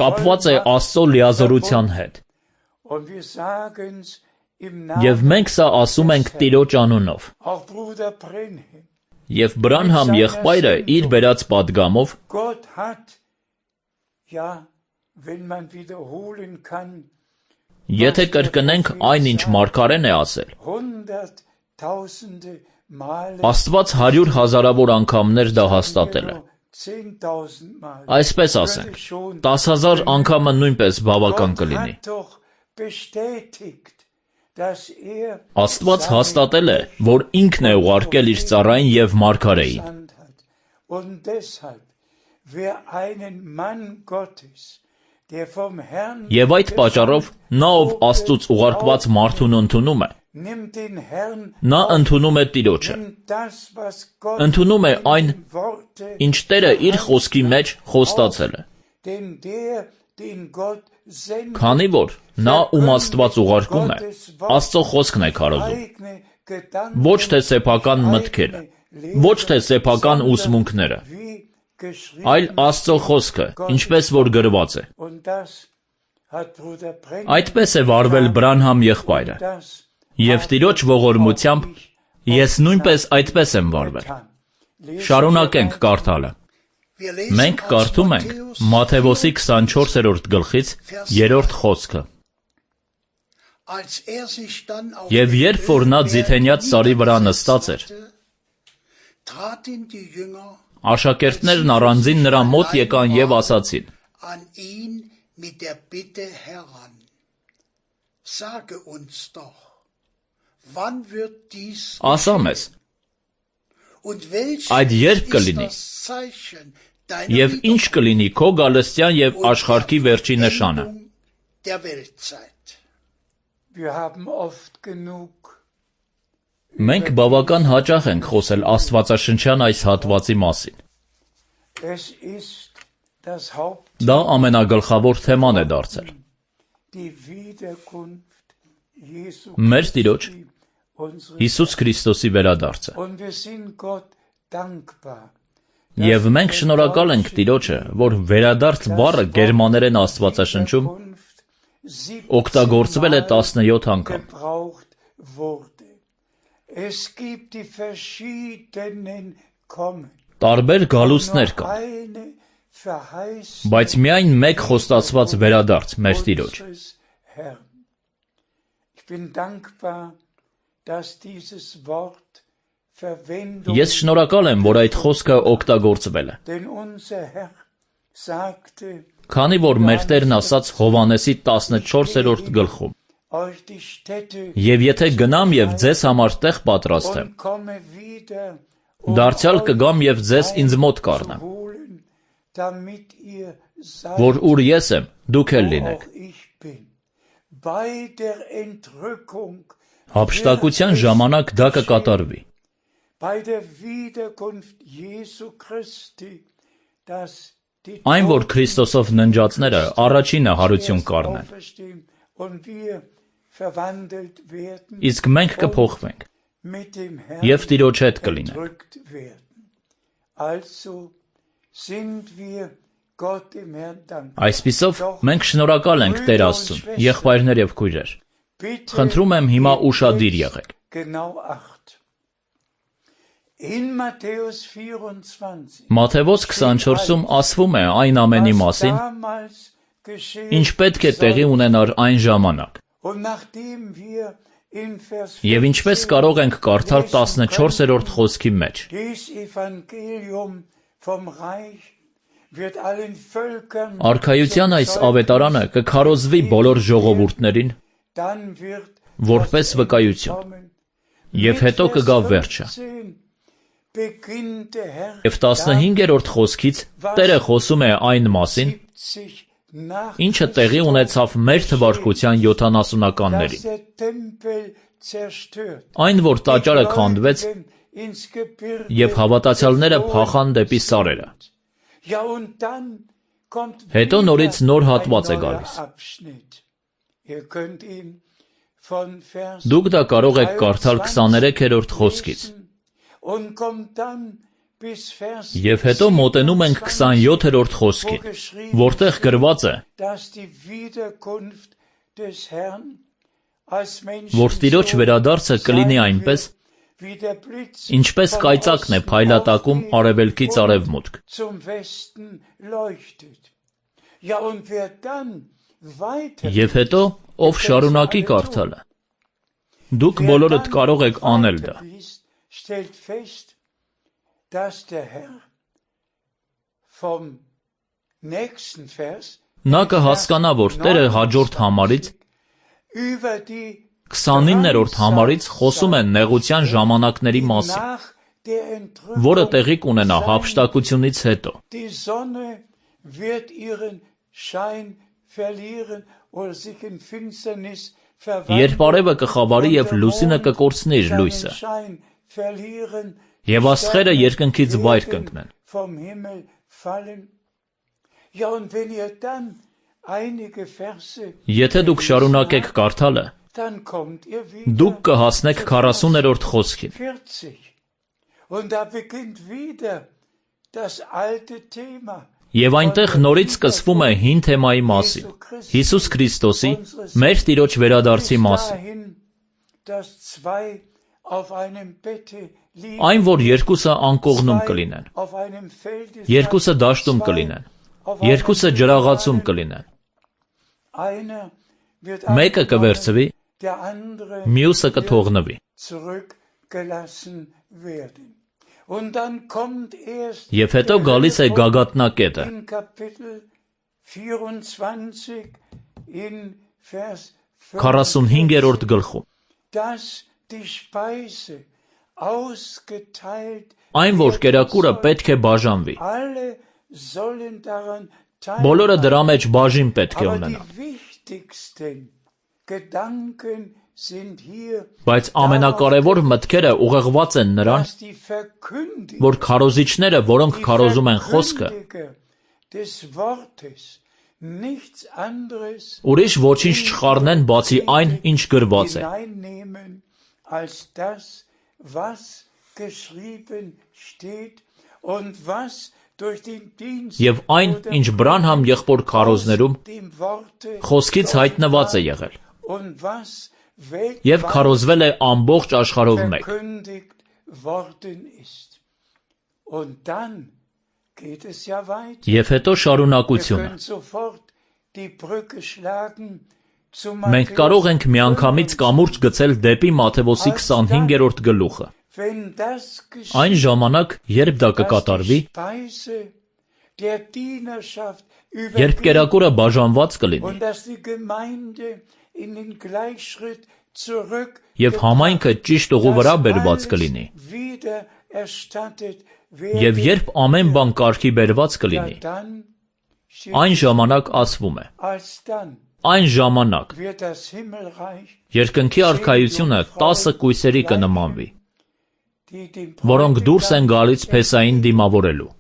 կապված է Աստծո լիազորության հետ։ Եվ մենք սա ասում ենք Տիրոջ անունով։ Եվ Բրանհամ եղբայրը իր բերած պատգամով Եթե կրկնենք այն, ինչ մարգարեն է ասել, Աստված հարյուր հազարավոր անգամներ դա հաստատել է։ Այսպես ասենք, տաս հազար անգամը նույնպես բավական կլինի։ Աստված հաստատել է, որ ինքն է ուղարկել իր ծառային և մարգարեին։ Եվ այդ պատճառով նա, ով Աստծուց ուղարկված մարդուն ընդունում է, նա ընդունում է Տիրոջը, ընդունում է այն, ինչ Տերը իր խոսքի մեջ խոստացել է։ Քանի որ նա, ում Աստված ուղարկում է, Աստծո խոսքն է քարոզում, ոչ թե սեփական մտքերը, ոչ թե սեփական ուսմունքները, այլ Աստծո խոսքը, ինչպես որ գրված է։ Այդպես է վարվել Բրանհամ եղբայրը, և Տիրոջ ողորմությամբ ես նույնպես այդպես եմ վարվել։ Շարունակենք կարդալը։ Մենք կարդում ենք Մատթեոսի քսանչորսերորդ գլխից երրորդ խոսքը։ Եվ երբ որ նա Ձիթենյաց սարի վրա նստած էր, աշակերտներն առանձին նրա մոտ եկան և ասացին. Ասա մեզ, այդ երբ կլինի, և ինչ կլինի քո գալստյան և աշխարհքի վերջի նշանը։ Մենք բավական հաճախ ենք խոսել աստվածաշնչյան այս հատվածի մասին։ Դա ամենագլխավոր թեման է դարձել։ Մեր Տիրոջ Հիսուս Քրիստոսի վերադարձը։ Եվ մենք շնորհակալ ենք Տիրոջը, որ վերադարձ բառը գերմաներեն աստվածաշնչում օգտագործվել է տասնյոթ անգամ։ Տարբեր գալուստներ կան, բայց միայն մեկ խոստացված վերադարձ մեր Տիրոջ։ Ես շնորհակալ եմ, որ այդ խոսքը օգտագործվել է։ Քանի որ մեր Տերն ասաց Հովհաննեսի տասնչորսերորդ գլխում. «Եվ եթե գնամ և ձեզ համար տեղ պատրաստեմ, դարձյալ կգամ և ձեզ ինձ մոտ կառնեմ, որ ուր ես եմ, դուք էլ լինեք»։ Հափշտակության ժամանակ դա կկատարվի։ Այն, որ Քրիստոսով ննջածները առաջինը հարություն կառնեն, իսկ մենք կփոխվենք և Տիրոջ հետ կլինենք։ Այսպիսով, մենք շնորհակալ ենք Տեր Աստծուն, եղբայրներ և քույրեր։ Խնդրում եմ հիմա ուշադիր եղեք։ Մատթեոս քսանչորսում ասվում է այն ամենի մասին, ինչ պետք է տեղի ունենար այն ժամանակ։ Եվ ինչպես կարող ենք կարդալ տասնչորսերորդ խոսքի մեջ. Արքայության այս ավետարանը կքարոզվի բոլոր ժողովուրդներին, որպես վկայություն, և հետո կգա վերջը։ Եվ տասնհինգերորդ խոսքից Տերը խոսում է այն մասին, ինչը տեղի ունեցավ մեր թվարկության յոթանասունականներին։ Այն, որ տաճարը քանդվեց, և հավատացյալները փախան դեպի սարերը։ Հետո նորից նոր հատված է գալիս։ Դուք դա կարող եք կարդալ քսաներեքերորդ խոսքից։ Եվ հետո մոտենում ենք քսանյոթերորդ խոսքին, որտեղ գրված է, որ Տիրոջ վերադարձը կլինի այնպես, ինչպես կայծակն է փայլատակում արևելքից արևմուտք։ Եվ հետո, ով շարունակի կարդալը, դուք բոլորդ կարող եք անել դա։ Նա կհասկանա, որ Տերը հաջորդ համարից, քսանիններորդ համարից խոսում է նեղության ժամանակների մասին, որը տեղի կունենա հափշտակությունից հետո։ Երբ արևը կխավարի և լուսինը կկորցնի իր լույսը, և աստղերը երկնքից վայր կընկնեն։ Եթե դուք շարունակեք կարդալը, դուք կհասնեք քառասուներորդ խոսքին։ das alte Thema Եվ այնտեղ նորից սկսվում է հին թեմայի մասին, Հիսուս Քրիստոսի, մեր Տիրոջ վերադարձի մասին։ dahin, dass zwei auf einem Bette liegen, Այն, որ երկուսը անկողնում կլինեն, auf einem Felde երկուսը դաշտում կլինեն, երկուսը ջրաղացում կլինեն, einer wird մեկը կվերցվի, der andere մյուսը կթողնվի։ zurückgelassen werden. Und dann kommt erst Եվ հետո գալիս է գագաթնակետը, in Kapitel vierundzwanzig in Vers քառասունհինգերորդ գլխում։ dass die Speise ausgeteilt Այն, որ կերակուրը պետք է բաժանվի, alle sollen daran teilhaben. բոլորը դրա մեջ բաժին պետք է Aber ունենան։ die wichtigsten Gedanken sind hier, Բայց ամենակարևոր մտքերը ուղղված են նրան, dass die Verkündiger, որ քարոզիչները, որոնք die քարոզում են խոսքը, Verkündiger des Wortes nichts anderes ուրիշ ոչինչ չխառնեն, բացի այն, ինչ գրված է, hineinnehmen als das, was geschrieben steht und was durch den Dienst եւ այն, ինչ Բրանհամ եղբոր քարոզներում dem Worte խոսքից հայտնված է եղել, und was եւ քարոզվել է ամբողջ աշխարհով մեկ։ verkündigt worden ist. Und dann geht es ja weiter. Եվ հետո Wir շարունակությունը։ können sofort die Brücke schlagen zu Մենք կարող ենք միանգամից կամուրջ գցել դեպի Մատթեոսի քսանհինգերորդ գլուխը։ Wenn das geschieht, Այն ժամանակ, երբ դա կկատարվի, dass die Speise der Dienerschaft երբ übergibt կերակուրը բաժանված կլինի, und dass die Gemeinde in den Gleichschritt zurück եւ համայնքը ճիշտ ուղու վրա բերված կլինի, wieder erstattet եւ werden, երբ ամեն բան կարգի բերված ja, կլինի, dann steht այն ժամանակ ասվում է, alsdann այն ժամանակ wird das Himmelreich, երկնքի արքայությունը տասը կույսերի կնմանվի, die dem որոնք դուրս են գալիս Փեսային դիմավորելու։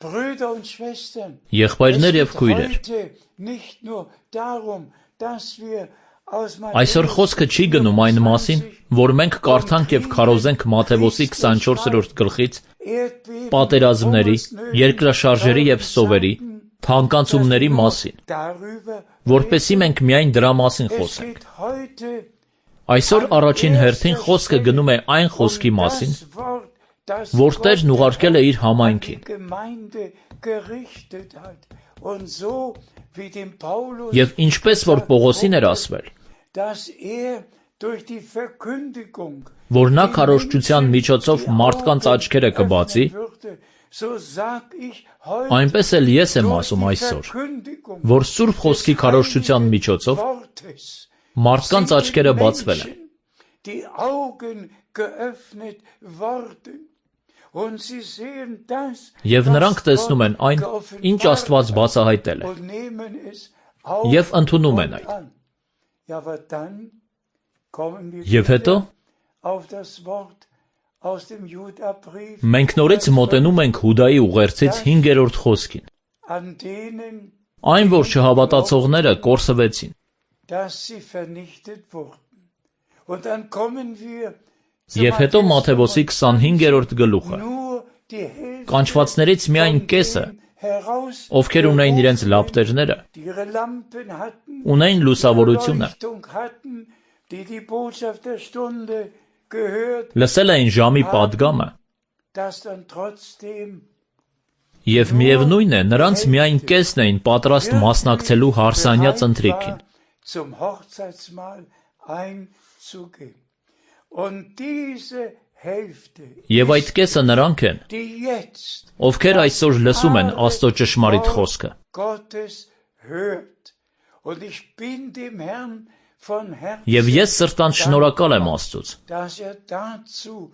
Brüder und Schwestern, Եղբայրներ es եւ geht քույրեր, heute nicht nur darum, dass wir aus այսօր խոսքը չի գնում այն մասին, որ մենք կարդանք եւ քարոզենք Մատթեոսի քսանչորսերորդ գլխից Erdbeben, պատերազմների, Hungersnöten, երկրաշարժերի եւ սովերի, թանկացումների մասին, darüber որպեսզի մենք միայն դրա մասին es խոսենք։ geht heute Այսօր առաջին հերթին խոսքը գնում է այն խոսքի մասին, որ Տերն ուղարկել է իր համայնքին, եւ ինչպես որ Պողոսին էր ասվել, որ նա քարոզչության միջոցով մարդկանց աչքերը կբացի, այնպես էլ ես եմ ասում այսօր, որ Սուրբ Խոսքի քարոզչության միջոցով մարդկանց աչքերը բացվել են, die Augen geöffnet worden. Und sie sehen das, եւ նրանք տեսնում են այն, ինչ Աստված բացահայտել է, und nehmen es եւ ընդունում են այդ։ an. Ja, aber dann kommen wir Եվ հետո auf das Wort aus dem Judabrief, մենք նորից մոտենում ենք Հուդայի ուղերձից հինգերորդ խոսքին, an denen, այն, որ չհավատացողները կորսվեցին, dass sie vernichtet wurden. Und dann kommen wir Եվ հետո Մատթեոսի քսանհինգերորդ գլուխը, nur die Hälfte կանչվածներից միայն կեսը, heraus, ովքեր ունեին իրենց լապտերները, die ihre Lampen hatten, ունեին լուսավորությունը, Leuchtung hatten, die die Botschaft der Stunde gehört, լսել էին ժամի պատգամը, dass dann trotzdem եւ միևնույն է, նրանց միայն կեսն էին պատրաստ մասնակցելու հարսանյաց ընթրիքին, zum Hochzeitsmahl einzugehen. Und diese Hälfte, եւ այդ կեսը նրանք են, die jetzt ովքեր այսօր լսում են Աստծո ճշմարիտ խոսքը, Gottes hört. Und ich bin dem Herrn von Herzen, եւ ես սրտան շնորհակալ եմ Աստծուց, dass er dazu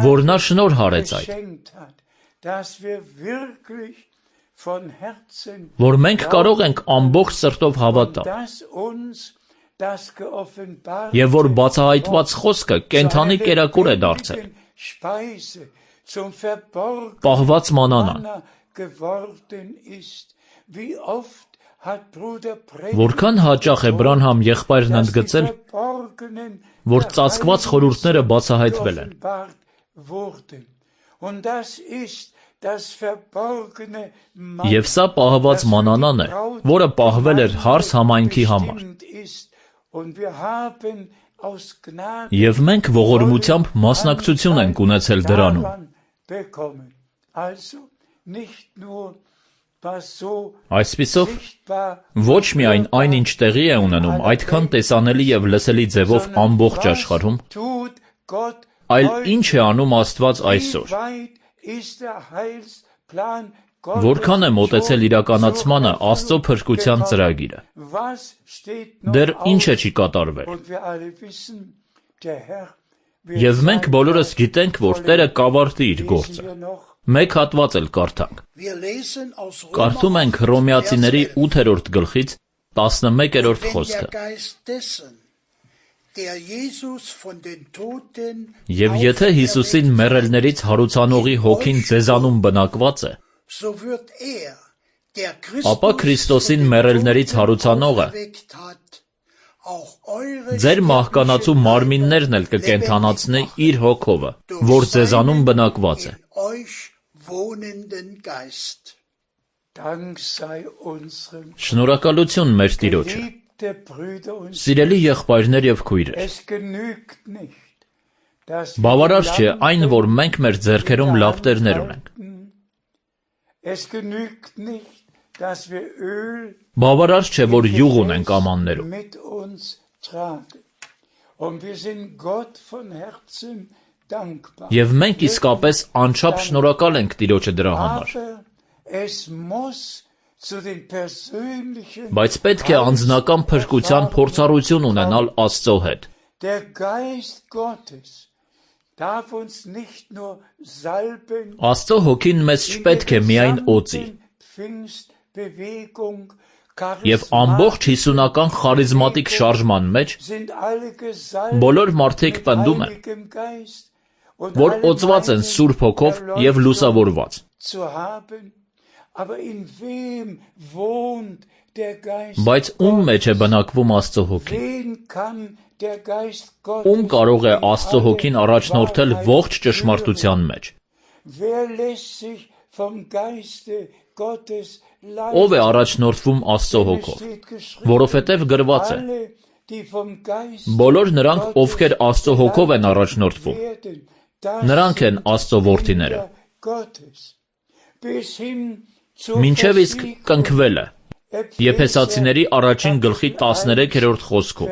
որ նա շնորհ հարեց այդ, geschenkt hat, dass wir wirklich von Herzen, որ մենք կարող ենք ամբողջ սրտով հավատալ, dass uns das geoffenbart եւ որ բացահայտված խոսքը կենթանի կերակուր է դարձել, Speise zum verborgenen պահված մանանան, Manna geworden ist. Wie oft hat Bruder որքան հաճախ է Բրանհամ եղբայրն ընդգծել, որ ծածկված խորհուրդները բացահայտվել են, Und das ist Եվ սա պահված մանանան է, որը պահվել էր հարս համայնքի համար։ Եվ մենք ողորմությամբ մասնակցություն ենք ունեցել դրանում։ Այսպիսով, ոչ միայն այն, ինչ տեղի է ունենում, այդքան տեսանելի եւ լսելի ձևով ամբողջ աշխարհում, այլ ինչ է անում Աստված այսօր։ Որքան է մոտեցել իրականացմանը Աստծո փրկության ծրագիրը։ Դեռ ինչ է չի կատարվել։ Եվ մենք բոլորս գիտենք, որ Տերը կավարտի իր գործը։ Մեկ հատված էլ կարդանք։ Կարդում ենք Հռոմեացիների ութերորդ գլխից տասնմեկերորդ խոսքը։ Եվ եթե Հիսուսին մեռելներից հարուցանողի հոգին ձեզանում բնակված է, ապա Քրիստոսին մեռելներից հարուցանողը ձեր մահկանացու մարմիններն էլ կկենդանացնի իր հոգովը, որ ձեզանում բնակված է։ Շնորհակալություն մեր Տիրոջը։ Սիրելի եղբայրներ եւ քույրեր, բավարար չէ այն, որ մենք մեր ձեռքերում լավ տերներ ունենք։ Բավարար չէ, որ յուղ ունենք ամաններում։ Եվ մենք իսկապես անչափ շնորհակալ ենք Տիրոջը դրա համար։ Բայց պետք է անձնական փրկության փորձառություն ունենալ Աստծո հետ։ Աստծո հոգին մեզ չպետք է միայն օծի։ Եվ ամբողջ հիսունական խարիզմատիկ շարժման մեջ բոլոր մարդիկ պնդում են, որ օծված են Սուրբ Հոգով եւ լուսավորված։ Բայց ում մեջ է բնակվում Աստծո հոգին։ Ում կարող է Աստծո հոգին առաջնորդել ողջ ճշմարտության մեջ։ Ով է առաջնորդվում Աստծո հոգով, որովհետև գրված է. բոլոր նրանք, ովքեր Աստծո հոգով են առաջնորդվում, նրանք են Աստծո որդիները։ Մինչև իսկ կնքվել է։ Եփեսացիների առաջին գլխի տասներեքերորդ խոսքում։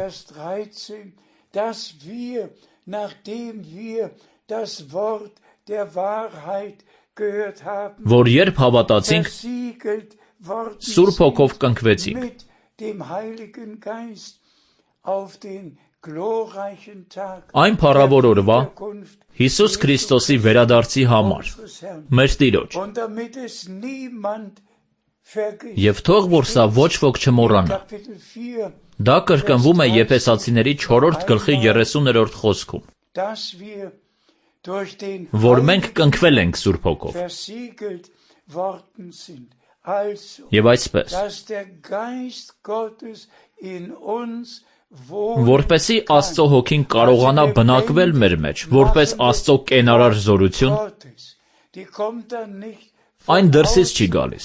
Որ երբ հավատացինք, Սուրբ Հոգով կնքվեցինք։ Այն փառավոր օրվա Հիսուս Քրիստոսի վերադարձի համար, մեր Տիրոջ։ Եվ թող որ սա ոչ ոք չմոռանա։ Դա կրկնվում է Եփեսացիների չորրորդ գլխի երեսուներորդ խոսքում, որ մենք կնքվել ենք Սուրբ Հոգով։ Եվ այսպես, որպեսզի Աստծո հոգին կարողանա բնակվել մեր մեջ, որպես Աստծո կենարար զորություն, այն դրսից չի գալիս,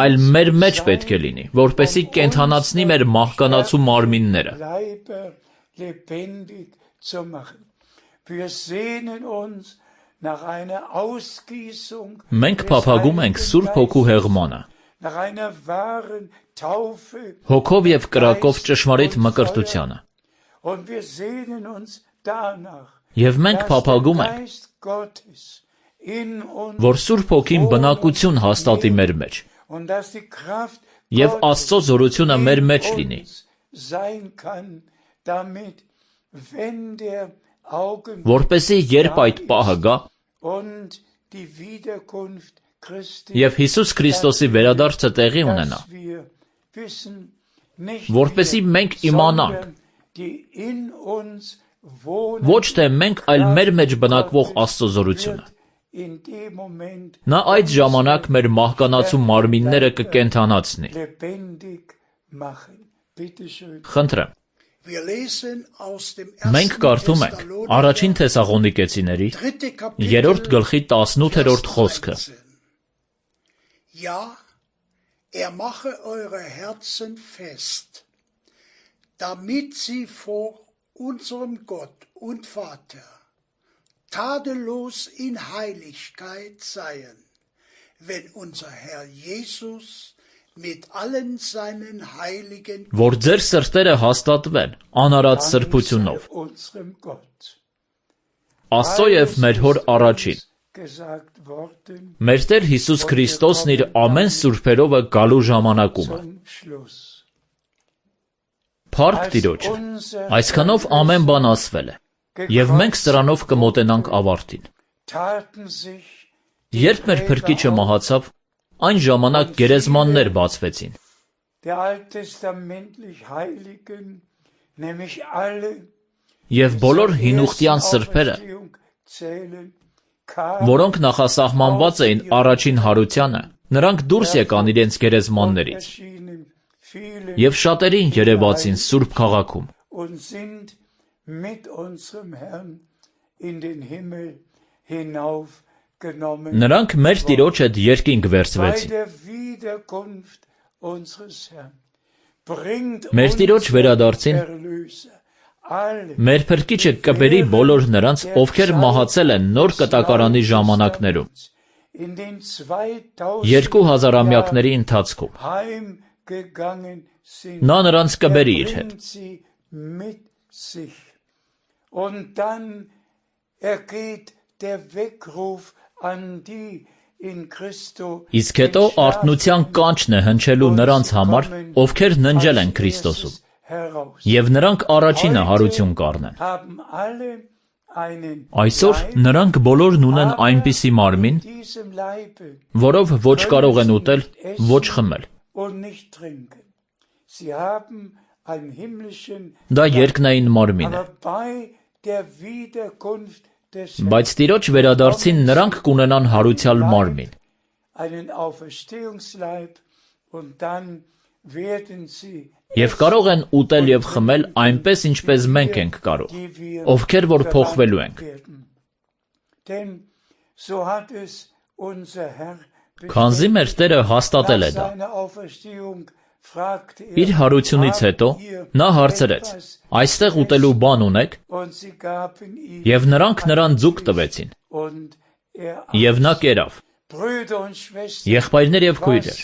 այլ մեր մեջ պետք է լինի, որպեսզի կենդանացնի մեր մահկանացու մարմինները։ Մենք փափագում ենք Սուրբ Հոգու հեղմանը, հոգով և կրակով ճշմարիտ մկրտությանը։ Եվ մենք փափագում ենք, որ Սուրբ Հոգին բնակություն հաստատի մեր մեջ, և Աստծո զորությունը մեր մեջ լինի, որպեսզի երբ այդ պահը գա, և Հիսուս Քրիստոսի վերադարձը տեղի ունենա, որպեսզի մենք իմանանք, ոչ թե մենք, այլ մեր մեջ բնակվող Աստծո զորությունը։ Նա այդ ժամանակ մեր մահկանացու մարմինները կկենդանացնի։ Խնդրեմ, Մենք կարդում ենք Առաջին Թեսաղոնիկեցիների երրորդ գլխի տասնութերորդ խոսքը. Ja, er mache eure Herzen fest, damit sie vor unserem Gott und Vater tadellos in Heiligkeit seien, wenn unser Herr Jesus mit allen seinen Heiligen որ ձեր սրտերը հաստատվեն անարած սրբությունով Աստծո և մեր Հոր առաջին մեր Տեր Հիսուս Քրիստոսն իր ամեն սուրբերովը գալու ժամանակումը Փառք Տիրոջը այսքանով ամեն բան ասվել է և մենք սրանով կմոտենանք ավարտին Երբ մեր Փրկիչը մահացավ Այն ժամանակ գերեզմաններ բացվեցին Եվ բոլոր հինուխտյան սրբերը Որոնք նախասահմանված էին առաջին հարությանը Նրանք դուրս եկան իրենց գերեզմաններից Եվ շատերին երևացին Սուրբ քաղաքում Նրանք մեր Տիրոջ հետ երկինք վերցվեցին Մեր Տիրոջ վերադարձին Մեր Փրկիչը կբերի բոլոր նրանց, ովքեր մահացել են նոր կտակարանի ժամանակներում Երկու հազարամյակների ընթացքում Նա նրանց կբերի իր հետ Իսկ հետո արթնության կանչն է հնչելու նրանց համար, ովքեր ննջել են Քրիստոսում, և նրանք առաջինը հարություն կառնեն։ Այսօր նրանք բոլորն ունեն այնպիսի մարմին, որով ոչ կարող են ուտել, ոչ խմել։ Դա երկնային մարմին է։ Բայց Տիրոջ վերադարձին նրանք կունենան հարության մարմին։ Եվ կարող են ուտել և խմել այնպես, ինչպես մենք ենք կարող, ովքեր որ փոխվելու ենք։ Քանզի մեր Տերը հաստատել է դա։ Իր հարությունից հետո նա հարցրեց. Այստեղ ուտելու բան ունեք, և նրանք նրան ձուկ տվեցին, և նա կերավ. Եղբայրներ և քույրեր,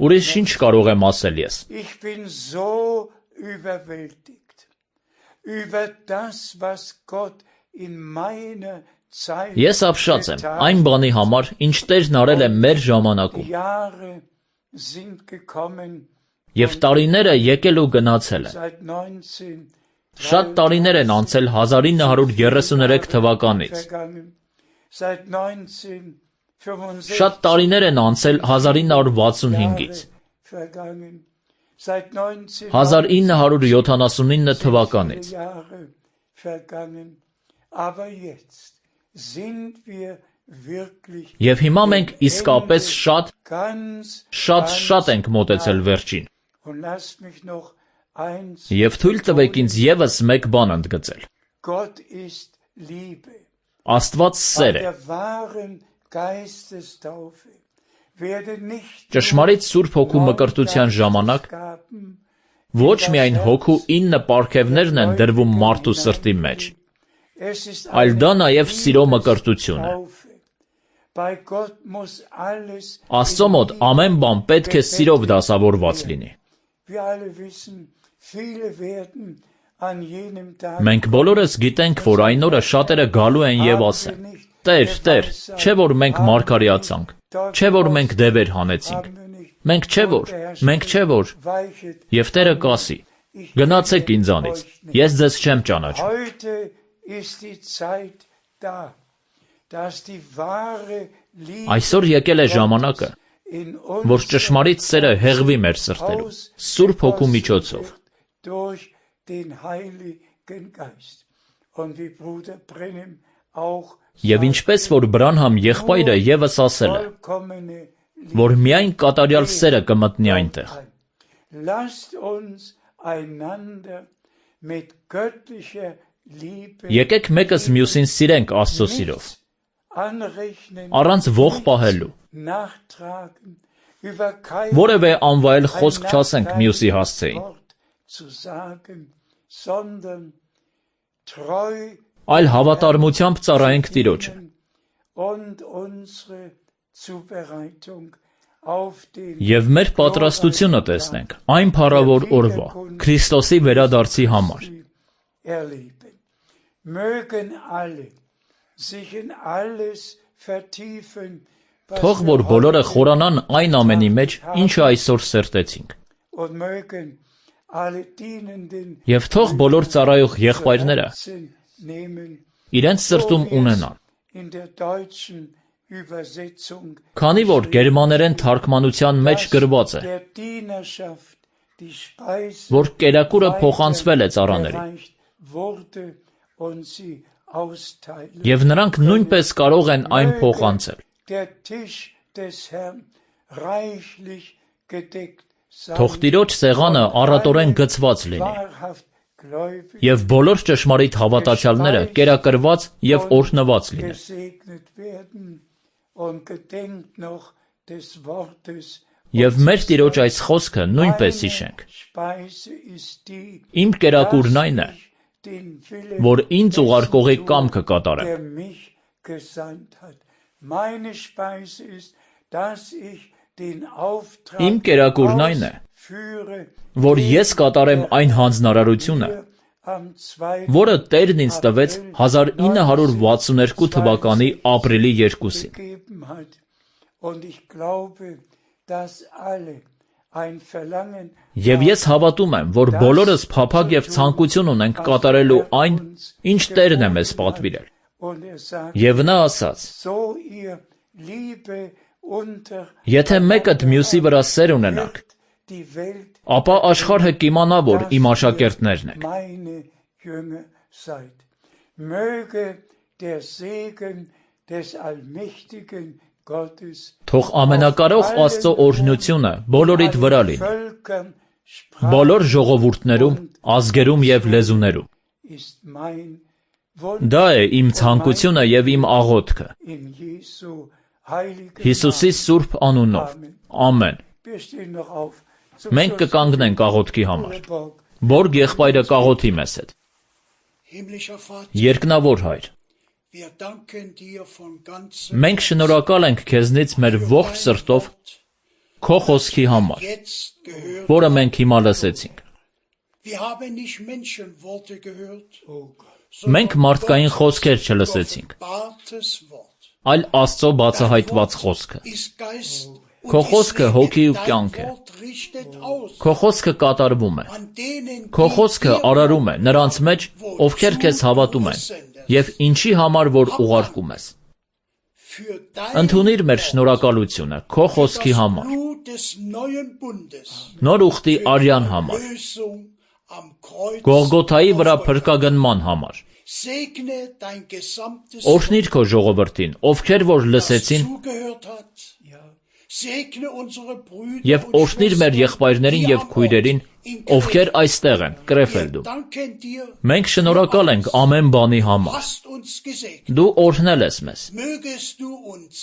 ուրիշ ինչ կարող եմ ասել ես։ Ես ապշած եմ այն բանի համար, ինչ Տերն արել է մեր ժամանակում, և տարիները եկել ու գնացել են։ Շատ տարիներ են անցել հազար ինը հարյուր երեսուներեք թվականից։ Շատ տարիներ են անցել հազար ինը հարյուր վաթսունհինգից։ հազար ինը հարյուր յոթանասունինը թվականից։ Եվ հիմա մենք իսկապես շատ, շատ, շատ ենք մոտեցել վերջին։ Եվ թույլ տվեք ինձ ևս մեկ բան ընդգծել։ Աստված սեր է։ Ճշմարիտ Սուրբ Հոգու մկրտության ժամանակ ոչ միայն Հոգու ինը պարգևներն են դրվում մարդու սրտի մեջ, այլ դա նաև սիրո մկրտություն է։ Աստծո մոտ ամեն բան պետք է սիրով դասավորված լինի։ Մենք բոլորս գիտենք, որ այն օրը շատերը գալու են և ասեն. Տեր, Տեր, չէ՞ որ մենք մարգարեացանք, չէ՞ որ մենք դևեր հանեցինք, մենք չէ՞ որ, մենք չէ՞ որ, և Տերը կասի. Գնացեք ինձանից, ես ձեզ չեմ ճանաչում։ Այսօր եկել է ժամանակը, որ ճշմարիտ սերը հեղվի մեր սրտերում, Սուրբ Հոգու միջոցով։ Եվ ինչպես որ Բրանհամ եղբայրը ևս ասել է, որ միայն կատարյալ սերը կմտնի այնտեղ։ mit göttlicher Liebe Եկեք մեկս մյուսին սիրենք Աստծո սիրով, anrechnen, առանց ող պահելու, nachtragen, über kein որևէ անվայել խոսք չասենք մյուսի հասցեին, Wort zu sagen, sondern treu այլ հավատարմությամբ ծառայենք Տիրոջը und unsere Zubereitung auf den և մեր պատրաստությունը տեսնենք այն փառավոր օրվա, Քրիստոսի վերադարձի համար։ erleben. Mögen alle sich in alles vertiefen, was Թող wir որ բոլորը heute խորանան այն ամենի մեջ, ինչը այսօր սերտեցինք, und mögen alle dienenden և թող բոլոր ծառայող եղբայրները Herzen nehmen, իրենց սրտում so wie es ունենան, in der deutschen Übersetzung քանի որ գերմաներեն թարգմանության մեջ գրված է, der Dienerschaft die Speise որ կերակուրը փոխանցվել է ծառաներին, weitergereicht wurde und sie austeilen. և նրանք նույնպես կարող են այն փոխանցել։ Der Tisch des Herrn reichlich gedeckt sein. Թող Տիրոջ սեղանը առատորեն գծված լինի, Wahrhaft gläubig և բոլոր ճշմարիտ հավատացյալները կերակրված և օրհնված լինեն։ gesegnet werden und gedenkt noch des Wortes. Եվ մեր Տիրոջ այս խոսքը նույնպես հիշենք։ Speise ist die, Իմ կերակուրն այն է, dass ich den Willen որ ինձ dessen ուղարկողի tue, կամքը կատարեմ։ der mich gesandt hat. Meine Speise ist, dass ich den Auftrag Իմ կերակուրն այն է, ausführe, որ ես կատարեմ այն հանձնարարությունը, am zweiten որը Տերն ինձ տվեց հազար ինը հարյուր վաթսունութ թվականի ապրիլի երկուսին։ gegeben hat. Und ich glaube, dass alle ein Verlangen Եվ ես հավատում եմ, որ բոլորս փափագ և ցանկություն ունենք կատարելու այն, ինչ Տերն է մեզ պատվիրել։ und er sagt, Եվ նա ասաց. so ihr Liebe unter Եթե մեկդ մյուսի վրա սեր ունենաք, die Welt ապա աշխարհը կիմանա, որ իմ աշակերտներն եք։ meine Jünger seid. Möge der Segen des allmächtigen Gottes Թող ամենակարող Աստծո օրհնությունը բոլորիդ վրա լինի, Völkern sprachen բոլոր ժողովուրդներում, ազգերում և լեզուներում։ ist mein Wunsch Դա է իմ ցանկությունը և իմ աղոթքը, in Jesu heiligen Հիսուսի սուրբ անունով։ Ամեն։ Wir stehen noch auf. Zum Մենք Schluss կկանգնենք աղոթքի համար։ Borg. Բորգ եղբայրը կաղոթի մեզ հետ։ Himmlischer Vater, Երկնավոր Հայր, wir danken dir von ganzem մենք շնորհակալ ենք քեզնից մեր ողջ սրտով քո խոսքի համար, jetzt gehört. որը մենք հիմա լսեցինք։ Wir haben nicht Menschenworte gehört, Մենք մարդկային խոսքեր չլսեցինք, Bartes Wort այլ Աստծո բացահայտված խոսքը։ ist Geist und Քո ist խոսքը Leben. հոգի ու Dein կյանք է։ Wort richtet aus Քո խոսքը կատարվում է։ an denen, Քո die խոսքը dir արարում է նրանց մեջ, ովքեր քեզ հավատում են, և ինչի համար որ ուղարկում ես։ für dein Ընդունիր մեր շնորհակալությունը քո խոսքի das համար, Blut des neuen Bundes, նոր ուխտի արյան համար, Lösung am Kreuz. Գողգոթայի վրա փրկագնման համար։ Segne dein gesamtes Օրհնիր քո ժողովրդին, ովքեր որ լսեցին, zugehört hat. Segne unsere Brüder և und օրհնիր մեր Schwestern, եղբայրներին die և am քույրերին, Ort in ովքեր Krefeld այստեղ են, Wir Կրեֆելդում։ danken dir, Մենք շնորհակալ ենք ամեն բանի համար։ hast uns gesegnet. Դու օրհնել ես մեզ։ Mögest du uns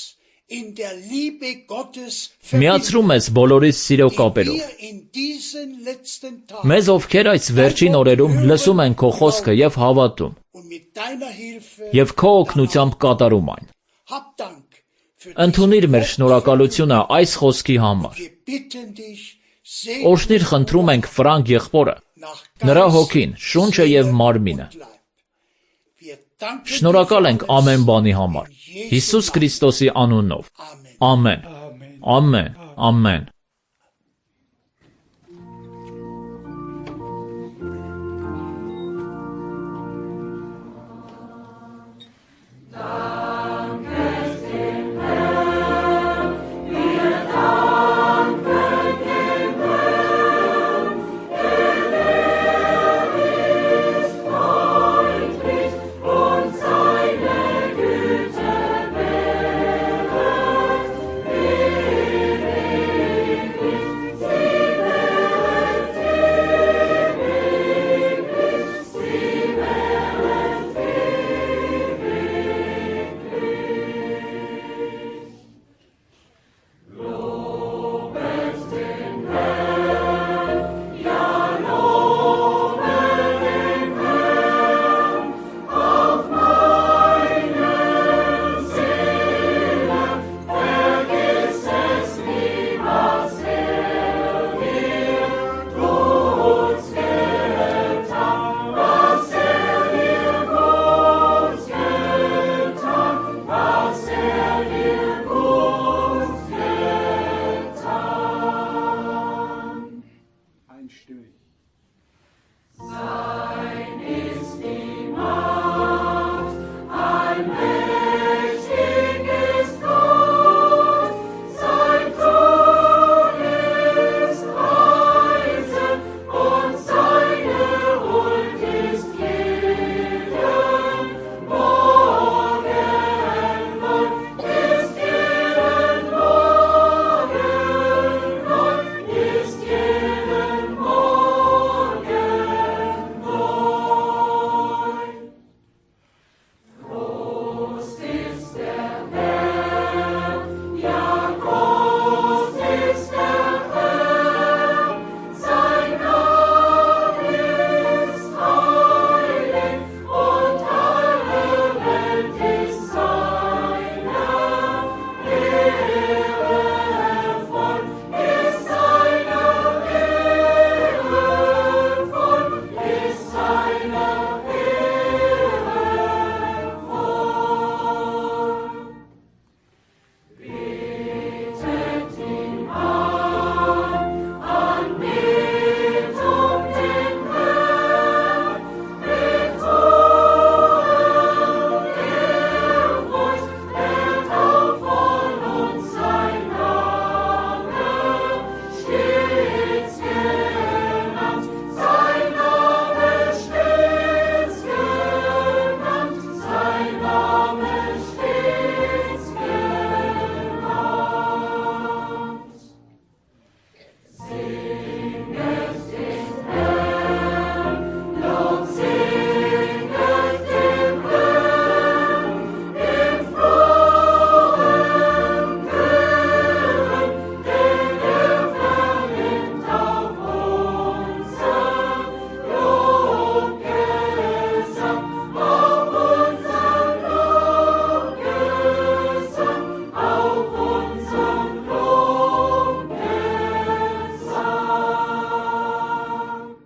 in der Liebe Gottes Միացրու մեզ բոլորիս սիրո die կապերով։ wir in diesen letzten Tagen Մեզ ովքեր այս վերջին օրերում լսում են քո խոսքը և հավատում, und mit deiner Hilfe և քո օգնությամբ կատարում այն։ hab Dank für Ընդունիր diesen մեր Wort. շնորհակալությունը այս խոսքի համար։ Wir bitten dich, segne Օրհնիր խնդրում ենք Ֆրանկ եղբորը, nach նրա Geist, հոգին, շունչը և Seele մարմինը։ und Leib. Wir danken Շնորհակալ dir ենք für alles. ամեն բանի համար։ In Jesu Հիսուս Namen. Քրիստոսի անունով։ Amen. Ամեն։ Amen. Ամեն։ Ամեն։